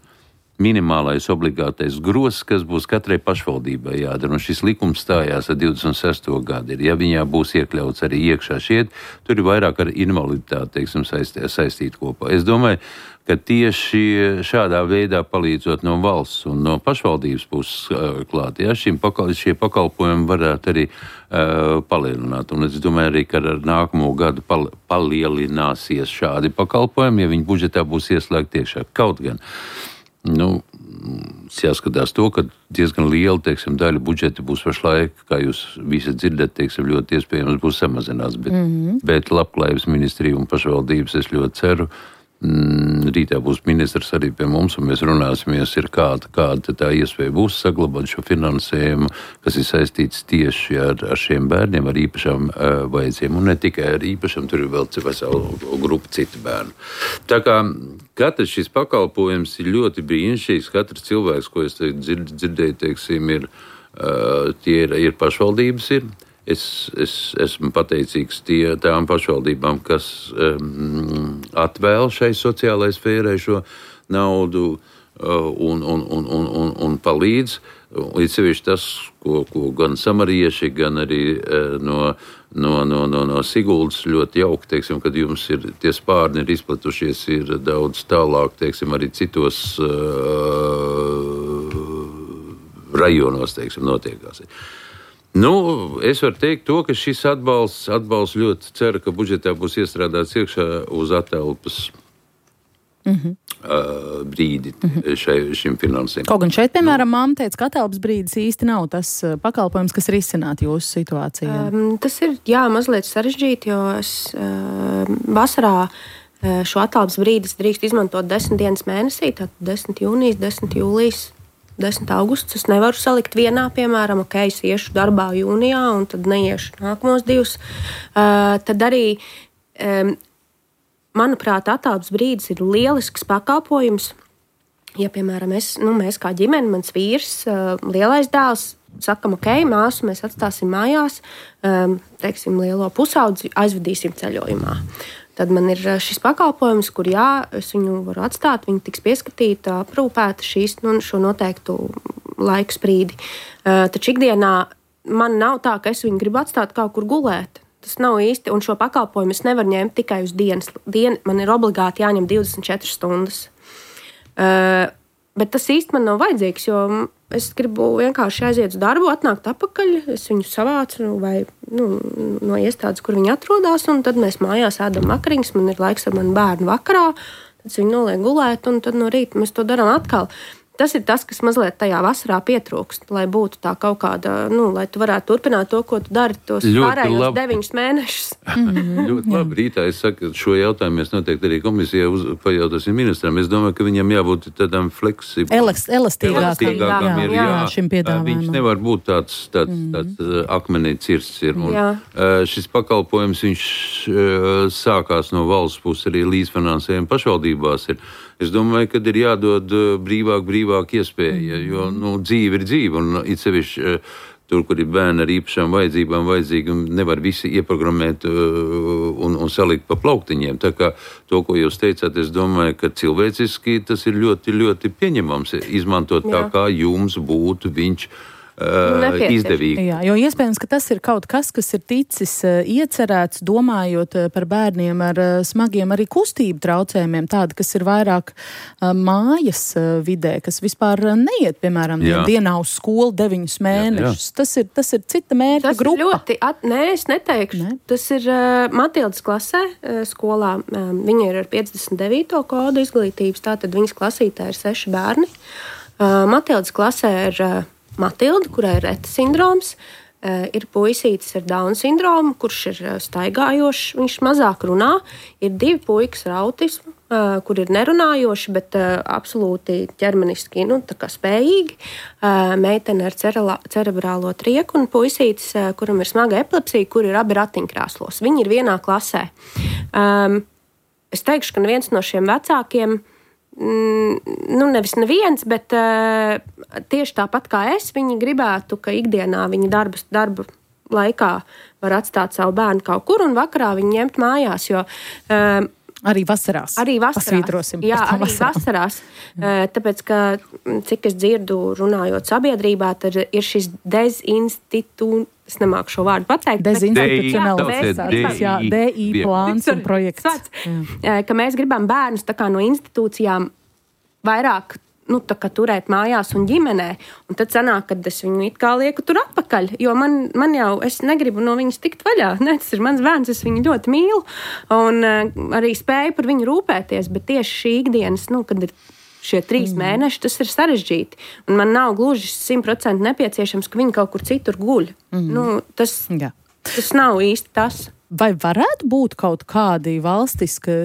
minimālais obligātais gross, kas būs katrai pašvaldībai jādara. Un šis likums stājās ar divdesmit sesto gadu. Ja viņā būs iekļauts arī iekšā šiet, tur ir vairāk ar invaliditāti, teiksim, saistīt, saistīt kopā. Es domāju, ka tieši šādā veidā palīdzot no valsts un no pašvaldības puses uh, klāt, ja, šim pakal, šie pakalpojumi varētu arī uh, palielināt. Un es domāju arī, ka ar nākamo gadu pal, palielināsies šādi pakalpojumi, ja viņi budžetā būs ieslēgti iekšā. Kaut gan, nu, jāskatās to, ka diezgan liela, teiksim, daļa budžeta būs pašlaik, kā jūs visi dzirdat, teiksim, ļoti iespējams būs samazināts, bet, mm-hmm. bet labklājības ministrija un pašvaldības es ļoti ceru, Mm, rītā būs ministrs arī pie mums, un mēs runāsimies, ir kāda, kāda tā iespēja būs saglabāt šo finansējumu, kas ir saistīts tieši ar, ar šiem bērniem, ar īpašām uh, vajadzībām, un ne tikai ar īpašām, tur ir vēl vesela grupa citu bērnu. Tā kā katrs šis pakalpojums ir ļoti brīnišķīgs, katrs cilvēks, ko es dzird, dzirdēju, teiksim, ir, uh, tie ir, ir pašvaldības ir. Es, es esmu pateicīgs tie, tām pašvaldībām, kas um, atvēl šai sociālai sfērai šo naudu uh, un, un, un, un, un, un palīdz. Līdz sevišķi tas, ko, ko gan samarieši, gan arī uh, no, no, no, no, no Siguldas ļoti jauki, teiksim, kad jums ir tie spārni ir izplatušies, ir daudz tālāk, teiksim, arī citos uh, rajonos, teiksim, notiekās. Nu, es varu teikt to, ka šis atbalsts, atbalsts ļoti ceru, ka budžetā būs iestrādāts iekšā uz atelpas mm-hmm. uh, brīdi mm-hmm. šai, šim finansēm. Kaut gan šeit, piemēram, māma teica, ka atelpas brīdis īsti nav tas pakalpojums, kas risināt jūsu situācijā. Um, tas ir, jā, mazliet sarežģīti, jo es uh, vasarā uh, šo atelpas brīdis drīkst izmantot desmit dienas mēnesī, tātad desmit jūnijas, desmit jūlijas. desmit augusts. Es nevaru salikt vienā, piemēram, ok, es iešu darbā jūnijā un tad neiešu nākamos divus. Uh, tad arī, um, manuprāt, atelpas brīdis ir lielisks pakalpojums. Ja, piemēram, es, nu, mēs kā ģimene, mans vīrs, uh, lielais dēls, sakam, ok, māsu mēs atstāsim mājās, um, teiksim, lielo pusaudzi aizvedīsim ceļojumā. Tad man ir šis pakalpojums, kur jā, es viņu varu atstāt, viņa tiks pieskatīta, aprūpēta šīs, nu, šo noteiktu laiku sprīdi. Uh, taču ikdienā man nav tā, ka es viņu gribu atstāt kaut kur gulēt. Tas nav īsti, un šo pakalpojumu es nevaru ņemt tikai uz dienas. Dien, man ir obligāti jāņem divdesmit četras stundas. Uh, bet tas īsti man nav vajadzīgs, jo es gribu vienkārši aiziet uz darbu, atnākt atpakaļ, es viņu savācu vai, nu, no iestādes, kur viņi atrodas, un tad mēs mājās ēdam vakariņas, man ir laiks ar manu bērnu vakarā, tad viņu noliek gulēt, un tad no rīta mēs to darām atkal. Tas ir tas, kas mazliet tajā vasarā pietrūkst, lai būtu tā kaut kāda, nu, lai tu varētu turpināt to, ko tu dari tos pārējos deviņus mēnešus. Mm-hmm. Ļoti labi. Rītā es saku, šo jautājumu mēs noteikti arī komisijā uz, pajautāsim ministram. Es domāju, ka viņam jābūt tādām fleksibām. Elast, elastīgākām. Jā, ir, jā, jā, šim piedāvājumam. Viņš nevar būt tāds, tāds, mm-hmm. tāds akmenī cirsts ir. Un, uh, šis pakalpojums, viņš uh, sākās no valsts puses arī līdzfinansējuma pašvaldībās ir. Es domāju, ka ir jādod brīvāk, brīvāk iespēja, jo nu, dzīve ir dzīve, un it sevišķi tur, kur ir bērni ar īpašām vajadzībām, vajadzīgi, nevar visi ieprogrammēt un, un salikt pa plauktiņiem. Tā kā to, ko jūs teicāt, es domāju, ka cilvēciski tas ir ļoti, ļoti pieņemams izmantot tā, kā jums būtu viņš Uh, izdevīgi. Jā, jo iespējams, ka tas ir kaut kas, kas ir ticis uh, iecerēts, domājot uh, par bērniem ar uh, smagiem arī kustību traucējumiem, tādi, kas ir vairāk uh, mājas uh, vidē, kas vispār uh, neiet, piemēram, dien, dienā uz skolu deviņus mēnešus. Jā, jā. Tas ir, tas ir cita mērķa tas grupa. Ļoti, at, nē, es neteikšu. Ne? Tas ir uh, Matildas klasē uh, skolā. Um, viņa ir ar piecdesmit devīto kodu izglītības, tātad viņas klasītē ir seši bērni. Uh, Matildas klasē ir uh, Matilda, kurai ir Reta sindroms, ir puisītis ar Dauna sindromu, kurš ir staigājošs, viņš mazāk runā, ir divi puikas ar autismu, kur ir nerunājoši, bet absolūti ķermeniski, nu, tā kā spējīgi, meitene ar cerebrālo trieku un puisītis, kuram ir smaga epilepsija, kur ir abi ratiņkrēslos. Viņi ir vienā klasē. Es teikšu, ka neviens no šiem vecākiem, nu, nevis neviens, bet uh, tieši tāpat kā es, viņi gribētu, ka ikdienā viņi darba, darba laikā var atstāt savu bērnu kaut kur un vakarā viņu ņemt mājās, jo uh, Arī vasarās. Arī vasarās. Pasvītrosim. Jā, arī vasarām. vasarās. Tāpēc, ka, cik es dzirdu runājot sabiedrībā, tad ir šis dezinstitū... Es nemāku šo vārdu pateikt. Dezinstitucionalizācijas, jā, D I plāns un projekts. Ka mēs gribam bērnus tā kā no institūcijām vairāk nu, tā kā turēt mājās un ģimenē. Un tad sanāk, kad es viņu it kā lieku tur atpakaļ, jo man, man jau, es negribu no viņas tikt vaļā. Ne, tas ir mans bērns, es viņu ļoti mīlu un uh, arī spēju par viņu rūpēties, bet tieši šī ikdienas, nu, kad ir šie trīs mm. mēneši, tas ir sarežģīti. Un man nav gluži simt procenti nepieciešams, ka viņi kaut kur citur guļ. Mm. Nu, tas, tas nav īsti tas. vai varētu būt kaut kādi valstiski,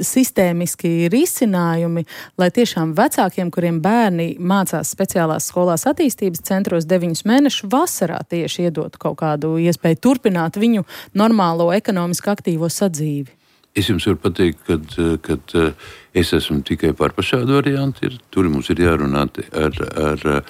sistēmiski risinājumi, lai tiešām vecākiem, kuriem bērni mācās speciālās skolās attīstības centros deviņus mēnešus vasarā tieši iedot kaut kādu iespēju turpināt viņu normālo ekonomiski aktīvo sadzīvi? Es jums varu pateikt, ka es esmu tikai par šādu variantu. Tur mums ir jārunā ar, ar,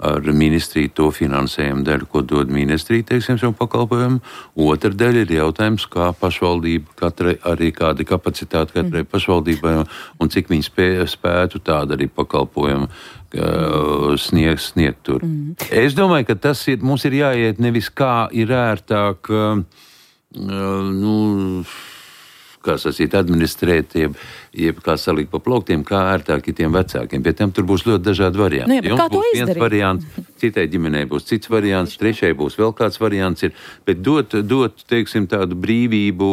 ar ministriju to finansējumu daļu, ko dod ministrija, teiksim, savu pakalpojumu. Otra daļa ir jautājums, kā pašvaldība, katrai, arī kāda kapacitāte katrai pašvaldībai un cik viņi spē, spētu tādu arī pakalpojumu sniegt, sniegt tur. Mm. Es domāju, ka tas ir, mums ir jāiet nevis kā ir ērtāk, nu, kā sacīt, administrēt, jeb, jeb kā salikt pa plauktiem, kā ērtāk ir tiem vecākiem. Pie tiem tur būs ļoti dažādi varianti. Nu, jā, Jums kā to būs izdarīt? Viens variants, citai ģimenei būs cits variants, trešai būs vēl kāds variants. Ir, bet dot, dot, teiksim, tādu brīvību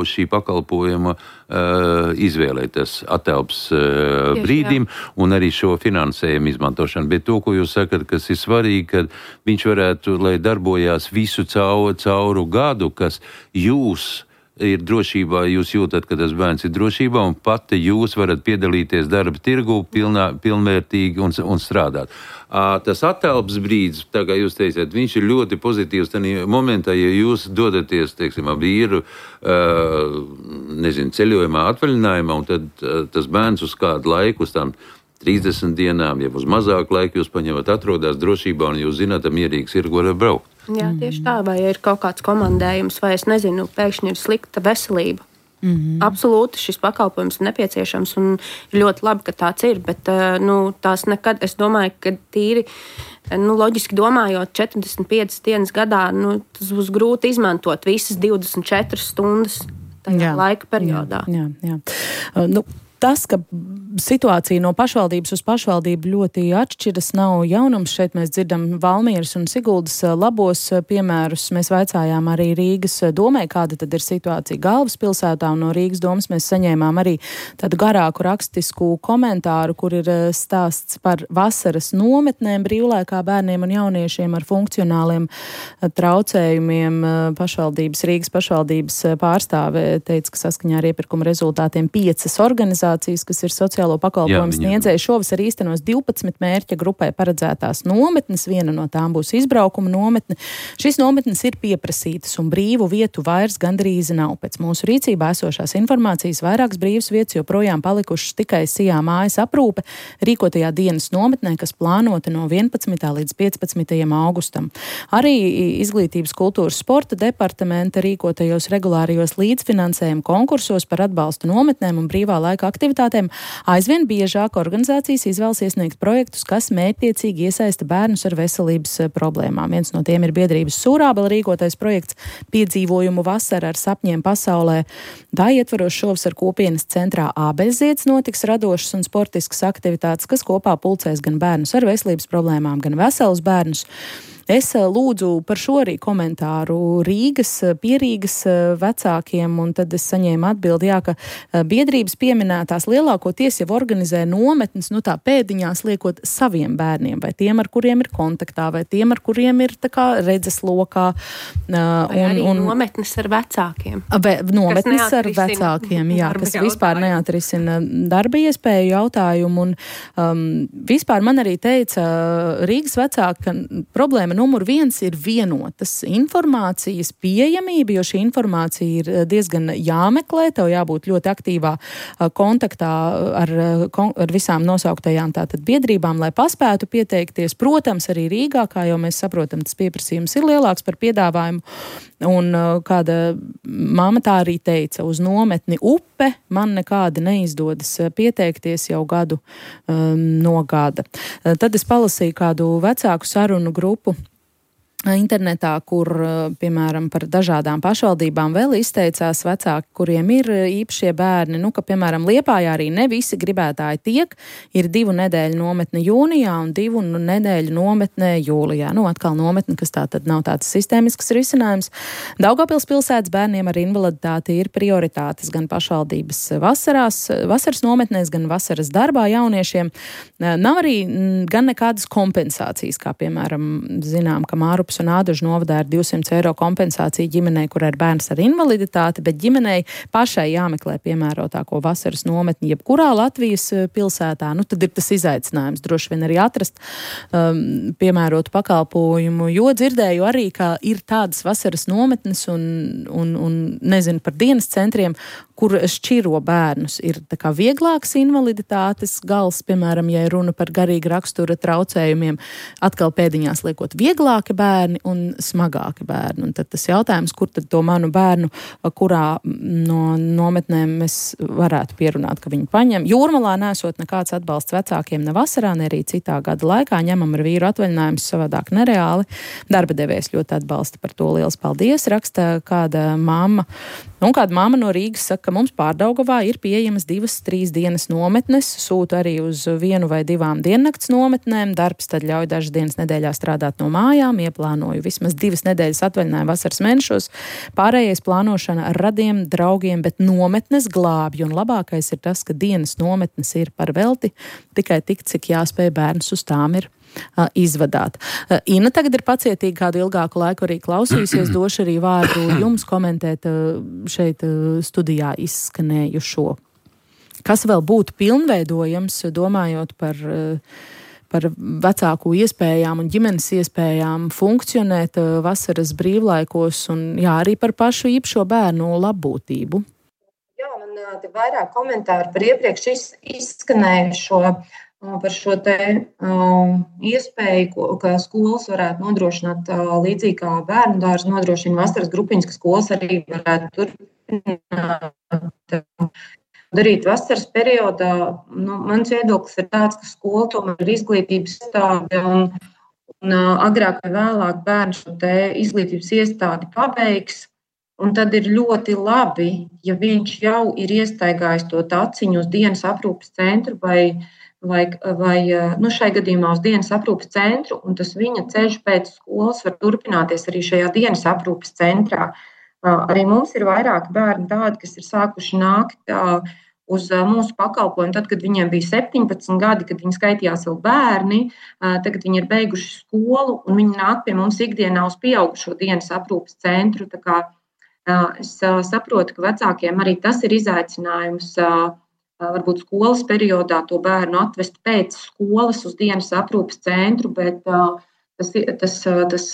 šī pakalpojuma uh, izvēlēties atelps uh, brīdim un arī šo finansējumu izmantošanu. Bet to, ko jūs sakat, kas ir svarīgi, kad viņš varētu, lai darbojās visu cauru, cauru gadu, kas jūs ir drošībā, jūs jūtat, ka tas bērns ir drošībā, un pati jūs varat piedalīties darba tirgu pilnā, pilnvērtīgi un, un strādāt. À, tas atelps brīdis, tā kā jūs teicāt, viņš ir ļoti pozitīvs tajā momentā, ja jūs dodaties, teiksim, ar vīru, uh, nezinu, ceļojumā, atvaļinājumā, un tad uh, tas bērns uz kādu laiku, uz tām trīsdesmit dienām, ja uz mazāku laiku jūs paņemat, atrodas drošībā, un jūs zināt, mierīgs ir, ko var braukt. Jā, tieši tā, vai ir kaut kāds komandējums, vai es nezinu, pēkšņi ir slikta veselība. Mm-hmm. Absolūti šis pakalpojums ir nepieciešams un ir ļoti labi, ka tāds ir, bet nu, tās nekad, es domāju, ka tīri, nu, loģiski domājot, četrdesmit piecas dienas gadā, nu, tas būs grūti izmantot visas divdesmit četras stundas tajā jā, laika periodā. Jā, jā, jā. Nu, tas, ka situācija no pašvaldības uz pašvaldību ļoti atšķiras, nav jaunums. Šeit mēs dzirdam Valmieras un Siguldas labos piemērus. Mēs vaicājām arī Rīgas domai, kāda tad ir situācija galvaspilsētā, un no Rīgas domas mēs saņēmām arī tādu garāku rakstisku komentāru, kur ir stāsts par vasaras nometnēm brīvlaikā bērniem un jauniešiem ar funkcionāliem traucējumiem. Pašvaldības, Rīgas pašvaldības pārstāve teica, ka saskaņā ar iepirkuma rezultātiem piecas organizācijas, kas ir sociālo pakalpojumu sniedzēji, šovasar īstenos divpadsmit mērķa grupai paredzētās nometnes. Viena no tām būs izbraukuma nometne. Šīs nometnes ir pieprasītas un brīvu vietu vairs gandrīz nav. Pēc mūsu rīcībā esošās informācijas vairākas brīvas vietas joprojām palikušas tikai Sijā mājas aprūpe rīkotajā dienas nometnē, kas plānota no vienpadsmitā līdz piecpadsmitajam augustam. Arī Izglītības, kultūras, sporta departamenta rīkotajos regulārajos līdzfinansējuma konkursos par atbalstu nometnēm un brīvā laika aktivitātēm aizvien biežāk organizācijas izvēlas iesniegt projektus, kas mērķtiecīgi iesaista bērnus ar veselības problēmām. Viens no tiem ir biedrības Sūrābela rīkotais projekts Piedzīvojumu vasara ar sapņiem pasaulē. Tā ietvaros šovasar kopienas centrā Ābeļzieds notiks radošas un sportiskas aktivitātes, kas kopā pulcēs gan bērnus ar veselības problēmām, gan veselus bērnus. Es lūdzu par šo arī komentāru Rīgas, Pierīgas vecākiem, un tad es saņēmu atbildi, jā, ka biedrības pieminētās lielākoties jau organizē nometnes, nu tā pēdiņās liekot saviem bērniem, vai tiem, ar kuriem ir kontaktā, vai tiem, ar kuriem ir tā kā redzes lokā. Vai un, arī un, nometnes ar vecākiem. Vai, nometnes ar vecākiem, jā, kas jautājumu. Vispār neatrisina darba iespēju jautājumu, un um, vispār man arī teica Rīgas vecāki, ka problēma numur viens ir vienotas informācijas pieejamība, jo šī informācija ir diezgan jāmeklē, tev jābūt ļoti aktīvā kontaktā ar, ar visām nosauktajām tātad biedrībām, lai paspētu pieteikties. Protams, arī Rīgā, kā jau mēs saprotam, tas pieprasījums ir lielāks par piedāvājumu, un kāda mamma tā arī teica, uz nometni Upe man nekādi neizdodas pieteikties jau gadu um, no gada. Tad es palasīju kādu vecāku sarunu grupu internetā, kur, piemēram, par dažādām pašvaldībām vēl izteicās vecāki, kuriem ir īpašie bērni, nu, ka, piemēram, Liepājā arī ne visi gribētāji tiek, ir divu nedēļu nometne jūnijā un divu nedēļu nometne jūlijā. Nu, atkal nometne, kas tā tad nav tāds sistēmisks risinājums. Daugavpils pilsētas bērniem ar invaliditāti ir prioritātes gan pašvaldības vasarās, vasaras nometnēs, gan vasaras darbā jauniešiem. Nav arī gan nekādas kompensācijas, kā, piemēram, zinām, ka Māru Kurpes un Ādažu novadā ir divsimt eiro kompensācija ģimenei, kur ir bērns ar invaliditāti, bet ģimenei pašai jāmeklē piemērotāko vasaras nometni jebkurā Latvijas pilsētā. Nu, tad ir tas izaicinājums droši vien arī atrast um, piemērotu pakalpojumu, jo dzirdēju arī, ka ir tādas vasaras nometnes un, un, un nezinu par dienas centriem, kur šķiro bērnus. Ir tā kā vieglāks invaliditātes gals, piemēram, ja runa par garīga rakstura traucējumiem, atkal pēdiņās liekot vieglāki bērni un smagāki bērni. Un tad tas jautājums, kur tad to manu bērnu, kurā no nometnēm mēs varētu pierunāt, ka viņi paņem. Jūrmalā nesot nekāds atbalsts vecākiem ne vasarā, ne arī citā gada laikā. Ņemam ar vīru atvaļinājumus savādāk nereāli. Darba devējs ļoti atbalsta, par to liels paldies. Raksta kāda mamma. Un kāda mamma no Rīgas saka, ka mums Pārdaugavā ir pieejamas divas, trīs dienas nometnes, sūta arī uz vienu vai divām diennakts nometnēm, darbs tad ļauj dažas dienas nedēļā strādāt no mājām, ieplānoju vismaz divas nedēļas atvaļinājumu vasaras mēnešos, pārējais plānošana ar radiem, draugiem, bet nometnes glābj, un labākais ir tas, ka dienas nometnes ir par velti, tikai tik, cik jāspēj bērns uz tām ir izvadāt. Ina tagad ir pacietīgi kādu ilgāku laiku arī klausījusies, došu arī vārdu jums komentēt šeit studijā izskanējušo. Kas vēl būtu pilnveidojams, domājot par, par vecāku iespējām un ģimenes iespējām funkcionēt vasaras brīvlaikos un jā, arī par pašu īpašo bērnu labbūtību? Jā, man te vairāk komentāru par iepriekš izskanējušo par šo te um, iespēju, ka skolas varētu nodrošināt uh, līdzīgi kā bērnu dārzi nodrošina vasaras grupiņas, ka skolas arī varētu turpināt darīt vasaras periodā. Nu, mans viedoklis ir tāds, ka skola tomēr ir izglītības iestāde un, un uh, agrāk vai vēlāk bērns šo te izglītības iestādi pabeigs. Un tad ir ļoti labi, ja viņš jau ir iestaigājis to taciņu uz dienas aprūpes centru vai vai, vai nu, šai gadījumā uz dienas aprūpes centru, un tas viņa ceļš pēc skolas var turpināties arī šajā dienas aprūpes centrā. Arī mums ir vairāki bērni tādi, kas ir sākuši nākt uz mūsu pakalpojumu, tad, kad viņiem bija septiņpadsmit gadi, kad viņi skaitījās vēl bērni, tagad viņi ir beiguši skolu, un viņi nāk pie mums ikdienā uz pieaugušo dienas aprūpes centru. Tā kā es saprotu, ka vecākiem arī tas ir izaicinājums, varbūt skolas periodā to bērnu atvest pēc skolas uz dienas aprūpes centru, bet tas, tas, tas,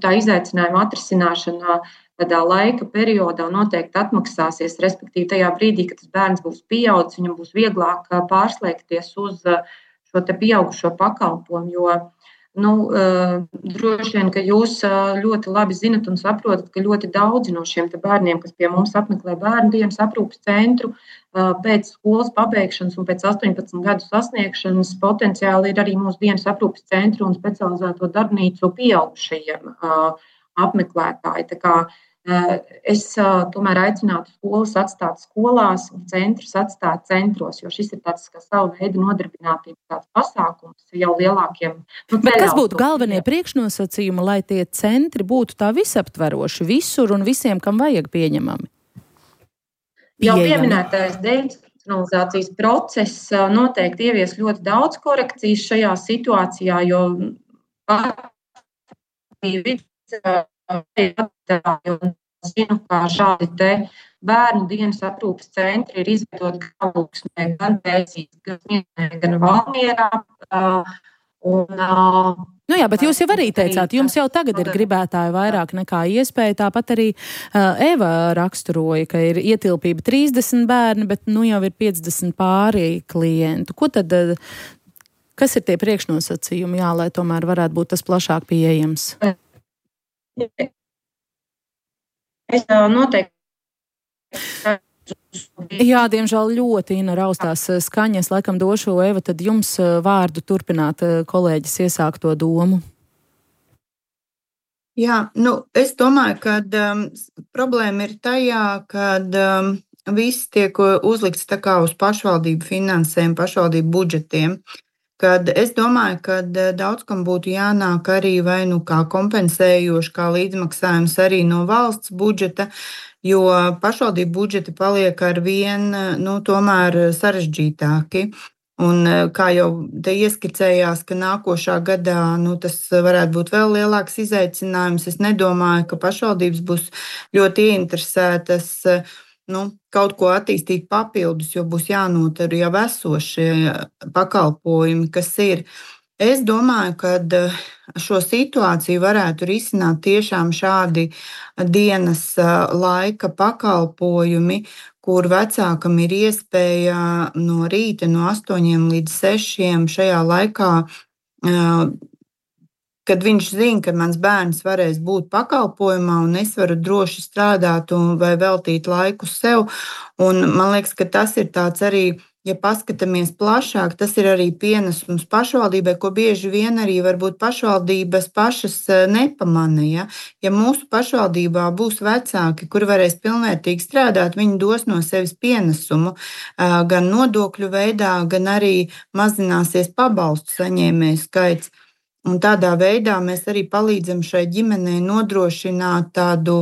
tā izaicinājuma atrisināšana tādā laika periodā noteikti atmaksāsies, respektīvi tajā brīdī, kad tas bērns būs pieaudzis, viņam būs vieglāk pārslēgties uz šo te pieaugušo pakalpojumu, jo nu, droši vien, ka jūs ļoti labi zinat un saprotat, ka ļoti daudzi no šiem te bērniem, kas pie mums apmeklē bērnu dienas aprūpes centru, pēc skolas pabeigšanas un pēc astoņpadsmit gadu sasniegšanas potenciāli ir arī mūsu dienas aprūpes centru un specializēto darbnīcu pieaugušajiem apmeklētāji. Tā kā es tomēr aicinātu skolas atstāt skolās un centrus atstāt centros, jo šis ir tāds kā savu veidu nodarbinātības tāds pasākums jau lielākiem. Nu, Bet kas būtu galvenie priekšnosacījumi, lai tie centri būtu tā visaptveroši visur un visiem, kam vajag pieņemami? Jau pieminētais deinstitucionalizācijas process noteikti ievies ļoti daudz korekcijas šajā situācijā, jo zinu, kā šādi te bērnu dienas aprūpes centri ir izveidoti gan Lūksnē, gan Pēcīs, gan Smietnē, gan Valmierā. Un, Nu jā, bet jūs jau arī teicāt, jums jau tagad ir gribētāji vairāk nekā iespēja, tāpat arī uh, Eva raksturoja, ka ir ietilpība trīsdesmit bērni, bet nu jau ir piecdesmit pāri klientu. Ko tad, uh, kas ir tie priekšnosacījumi, jā, lai tomēr varētu būt tas plašāk pieejams? Es uh, noteikti. Jā, diemžēl ļoti Ina raustās skaņas. Laikam došu Eva, tad jums vārdu turpināt kolēģis iesākto domu. Jā, nu, es domāju, ka um, problēma ir tajā, kad um, viss tiek uzlikts tā kā uz pašvaldību finansēm, pašvaldību budžetiem. Kad es domāju, ka daudz kam būtu jānāk arī vai nu kā kompensējoši, kā līdzmaksājums arī no valsts budžeta, jo pašvaldību budžeti paliek ar vien, nu, tomēr sarežģītāki. Un, kā jau te ieskicējās, ka nākošā gadā nu, tas varētu būt vēl lielāks izaicinājums, es nedomāju, ka pašvaldības būs ļoti ieinteresētas nu, kaut ko attīstīt papildus, jo būs jānotur jau esošie pakalpojumi, kas ir. Es domāju, ka šo situāciju varētu risināt tiešām šādi dienas laika pakalpojumi, kur vecākam ir iespēja no rīta no astoņiem līdz sešiem šajā laikā, kad viņš zina, ka mans bērns varēs būt pakalpojumā un es varu droši strādāt un vai veltīt laiku sev. Un man liekas, ka tas ir tāds arī, ja paskatāmies plašāk, tas ir arī pienesums pašvaldībai, ko bieži vien arī varbūt pašvaldības pašas nepamana. Ja, ja mūsu pašvaldībā būs vecāki, kuri varēs pilnvērtīgi strādāt, viņi dos no sevis pienesumu gan nodokļu veidā, gan arī mazināsies pabalstu saņēmēju skaits. Un tādā veidā mēs arī palīdzam šai ģimenei nodrošināt tādu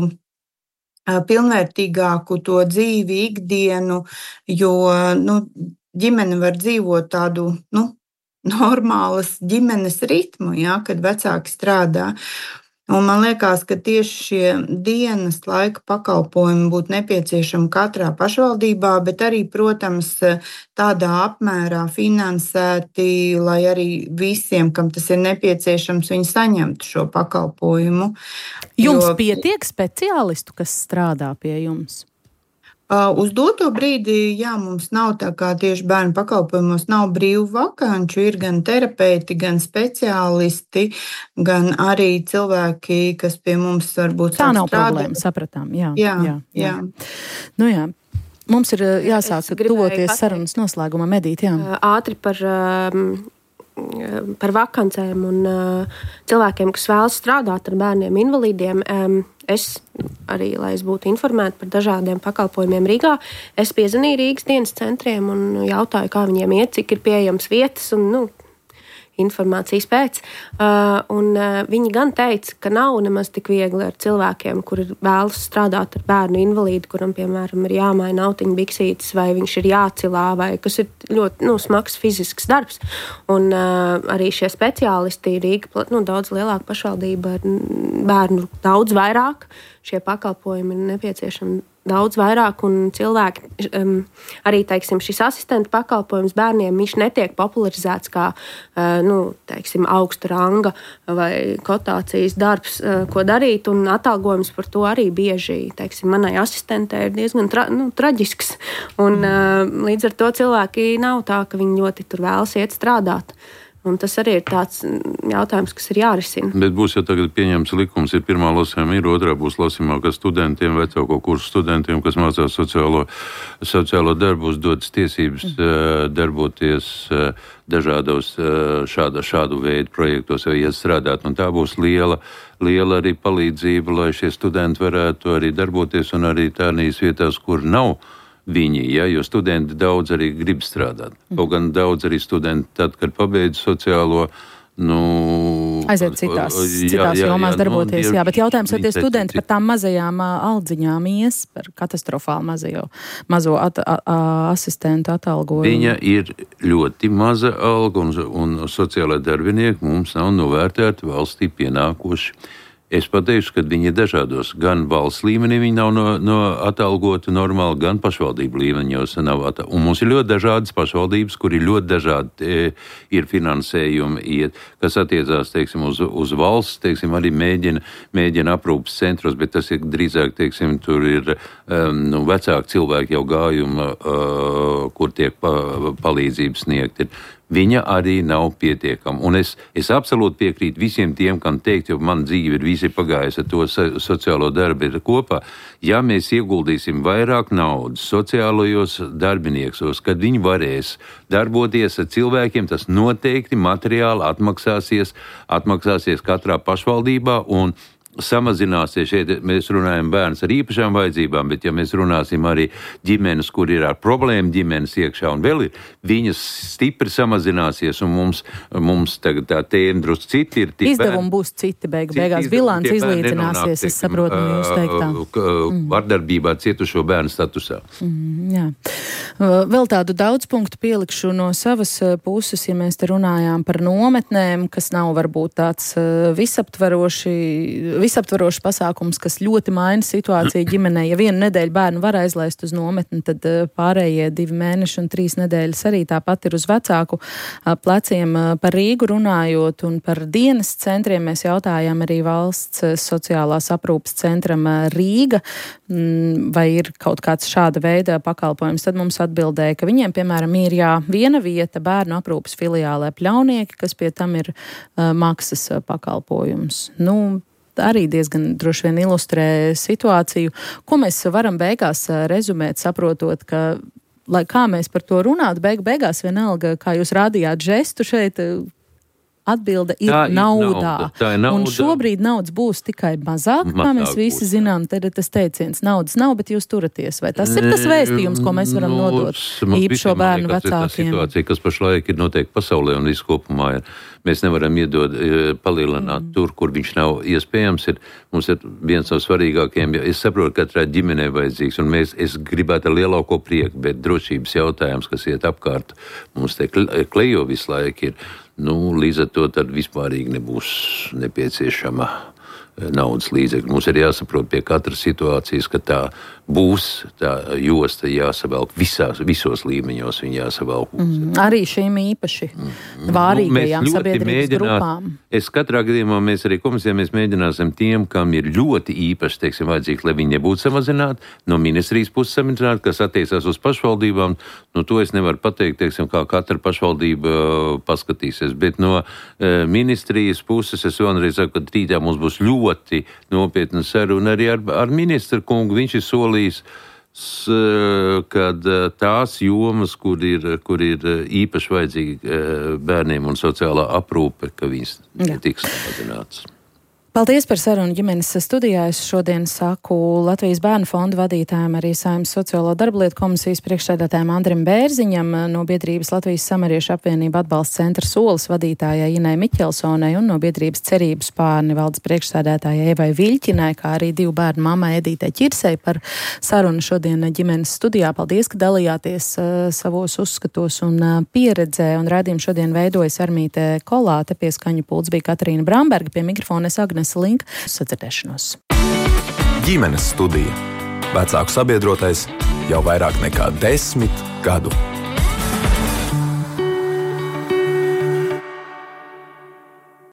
pilnvērtīgāku to dzīvi, ikdienu, jo nu, ģimene var dzīvot tādu nu, normālas ģimenes ritmu, ja, kad vecāki strādā. Un man liekas, ka tieši šie dienas laika pakalpojumi būtu nepieciešami katrā pašvaldībā, bet arī, protams, tādā apmērā finansēti, lai arī visiem, kam tas ir nepieciešams, viņi saņemtu šo pakalpojumu. Jums jo... pietiek speciālistu, kas strādā pie jums? Uz doto brīdi, jā, mums nav tā kā tieši bērnu pakalpojumos nav brīvu vakanču, ir gan terapeiti, gan speciālisti, gan arī cilvēki, kas pie mums varbūt tā nav strādā. Problēma, sapratām, jā. Jā, jā. jā. jā. Nu jā, mums ir jāsāk tuvoties sarunas noslēgumā, Medīt, jā. Ātri par... Um... par vakancēm un uh, cilvēkiem, kas vēlas strādāt ar bērniem invalīdiem. Um, es arī, lai es būtu informēta par dažādiem pakalpojumiem Rīgā, es piezvanīju Rīgas dienas centriem un jautāju, kā viņiem iet, cik ir pieejams vietas un, nu, informācijas pēc. Uh, un uh, viņi gan teica, ka nav nemaz tik viegli ar cilvēkiem, kuri vēlas strādāt ar bērnu invalīdu, kuram, piemēram, ir jāmaina autiņu biksītes, vai viņš ir jācilā, vai kas ir ļoti nu, smags fizisks darbs. Un uh, arī šie speciālisti Rīga, nu, daudz lielāka pašvaldība ar bērnu daudz vairāk. Šie pakalpojumi ir nepieciešami daudz vairāk, un cilvēki, um, arī, teiksim, šis asistenta pakalpojums bērniem, viņš netiek popularizēts kā, uh, nu, teiksim, augsta ranga vai kotācijas darbs, uh, ko darīt, un atalgojums par to arī bieži, teiksim, manai asistentē ir diezgan tra, nu, traģisks, un uh, līdz ar to cilvēki nav tā, ka viņi ļoti tur vēlas iet strādāt. Un tas arī ir tāds jautājums, kas ir jārisina. Bet būs jau tagad pieņemts likums, ir pirmā lasījuma, ir otrā būs lasījumā, ka studentiem, vecāko kursu studentiem, kas mācās sociālo, sociālo darbu, būs dotas tiesības mm. darboties dažādos šāda, šādu veidu projektos vai iet strādāt. Un tā būs liela, liela arī palīdzība, lai šie studenti varētu arī darboties un arī tādās vietās, kur nav viņi, ja, jo studenti daudz arī grib strādāt. Kaut gan daudz arī studenti, tad, kad pabeidz sociālo, nu... aiziet citās, jā, citās jā, jomās jā, darboties, nu, jā, bet jautājums, vai tie studenti par tām mazajām aldziņām ies, par katastrofāli mazajo, mazo at, a, a, asistentu atalgojumu? Viņa ir ļoti maza alga, un, un sociālai darbinieki mums nav novērtēti valstī pienākoši. Es pateikšu, ka viņi ir dažādos. Gan valsts līmenī viņi nav no, no atalgoti normāli, gan pašvaldību līmeņos nav atalgoti. Un mums ir ļoti dažādas pašvaldības, kur ir ļoti dažādi e, ir finansējumi, iet, kas attiecās, teiksim, uz, uz valsts, teiksim, arī mēģina, mēģina aprūpas centros, bet tas ir drīzāk, teiksim, tur ir um, nu, vecāki cilvēki jau gājuma, uh, kur tiek pa, palīdzības sniegt. Viņa arī nav pietiekama. Un es, es absolūti piekrītu visiem tiem, kam teikt, jo man dzīve ir visi pagājusi ar to sociālo darbu ir kopā. Ja mēs ieguldīsim vairāk naudas sociālajos darbiniekos, kad viņi varēs darboties ar cilvēkiem, tas noteikti materiāli atmaksāsies, atmaksāsies katrā pašvaldībā un samazināsies. Šeit mēs runājam bērns ar īpašām vajadzībām, bet ja mēs runāsim arī ģimenes, kur ir ar problēmu ģimenes iekšā un vēl ir, viņas stipri samazināsies un mums, mums tagad tā tēma drusku citi ir. Izdevumi būs citi beigu beigās. Bilants izlīdzināsies, es saprotu no jūs teiktā. Mm. Vardarbībā cietušo bērnu statusā. Mm, jā. Vēl tādu daudz punktu pielikšu no savas puses, ja mēs te runājām par nometnēm, kas nav varbūt tāds visaptveroši visaptvarošs pasākums, kas ļoti maina situāciju ģimenē. Ja vienu nedēļu bērnu var aizlaist uz nometni, tad pārējie divi mēneši un trīs nedēļas arī tāpat ir uz vecāku pleciem. Par Rīgu runājot un par dienas centriem mēs jautājām arī valsts sociālās aprūpes centram Rīga, vai ir kaut kāds šāda veida pakalpojums. Tad mums atbildēja, ka viņiem, piemēram, ir jā, viena vieta bērnu aprūpes filiālē Pļaunieki, kas pie tam ir uh, maksas pakalpojums. Nu, arī diezgan droši vien ilustrē situāciju, ko mēs varam beigās rezumēt, saprotot, ka, lai kā mēs par to runātu, beig beigās vienalga, kā jūs rādījāt žestu šeit, atbilde ir tā naudā. Ir nauda. Tā ir nauda. Un šobrīd naudas būs tikai mazāk, mazāk kā mēs visi būs, zinām. Tad ir tas teiciens, naudas nav, bet jūs turaties. Vai tas ir tas vēstījums, ko mēs varam no, nodot īpašo bērnu vecākiem? Tā situācija, kas pašlaik ir noteikti pasaulē un visu kopumā ir. Mēs nevaram iedot, palielināt mm. tur, kur viņš nav iespējams. Ir, mums ir viens no svarīgākajiem. Es saprotu, ka katrai ģimenei vajadzīgs, un mēs, es gribētu ar lielāko prieku, bet drošības jautājums, kas iet apkārt, mums te klejo visu laiku ir. Nu, līdz ar to tad vispārīgi nebūs nepieciešama naudas līdzekļi. Mums ir jāsaprot pie katras situācijas, ka tā būs, tā josta jāsavelk visās, visos līmeņos, viņa jāsavelk. Mm, arī šīm īpaši vārīgajām nu, sabiedrības grupām. Es katrā gadījumā, mēs arī komisijā, mēs mēģināsim tiem, kam ir ļoti īpaši, teiksim, vajadzīgs, lai viņi nebūtu samazināti, no ministrijas puses samazināti, kas attiecās uz pašvaldībām, nu, to es nevaru pateikt, teiksim, kā katra pašvaldība uh, paskatīsies, bet no uh, ministrijas puses es vēlreiz saku, ka rītā mums būs ļoti nopietna saruna arī ar, ar ministru kungu, viņš ir solījis, kad tās jomas, kur ir, kur ir īpaši vajadzīgi bērniem un sociālā aprūpe, ka viņas netiks samazināts. Paldies par sarunu ģimenes studijā. Es šodien saku Latvijas Bērnu fonda vadītājiem, arī Saeimas sociālo darblietu komisijas priekšsēdētājiem Andrim Bērziņam, no biedrības Latvijas Samariešu apvienība atbalsta centra Solis vadītājai Inai Miķelsonai un no biedrības Cerības Spārni valdes priekšsēdētājai Evai Viļķinai, kā arī divu bērnu mammai Edītei Ķirsei par sarunu šodien ģimenes studijā. Paldies, ka dalījāties uh, savos uzskatos un uh, pieredzē, un raidījumu šodien veidojas Armīte Kolāte, pie skaņu pults bija Katrīna Bramberga, pie mikrofona es Agnes Link. Sadzirdēšanos. Ģimenes studija. Vecāku sabiedrotais jau vairāk nekā desmit gadu.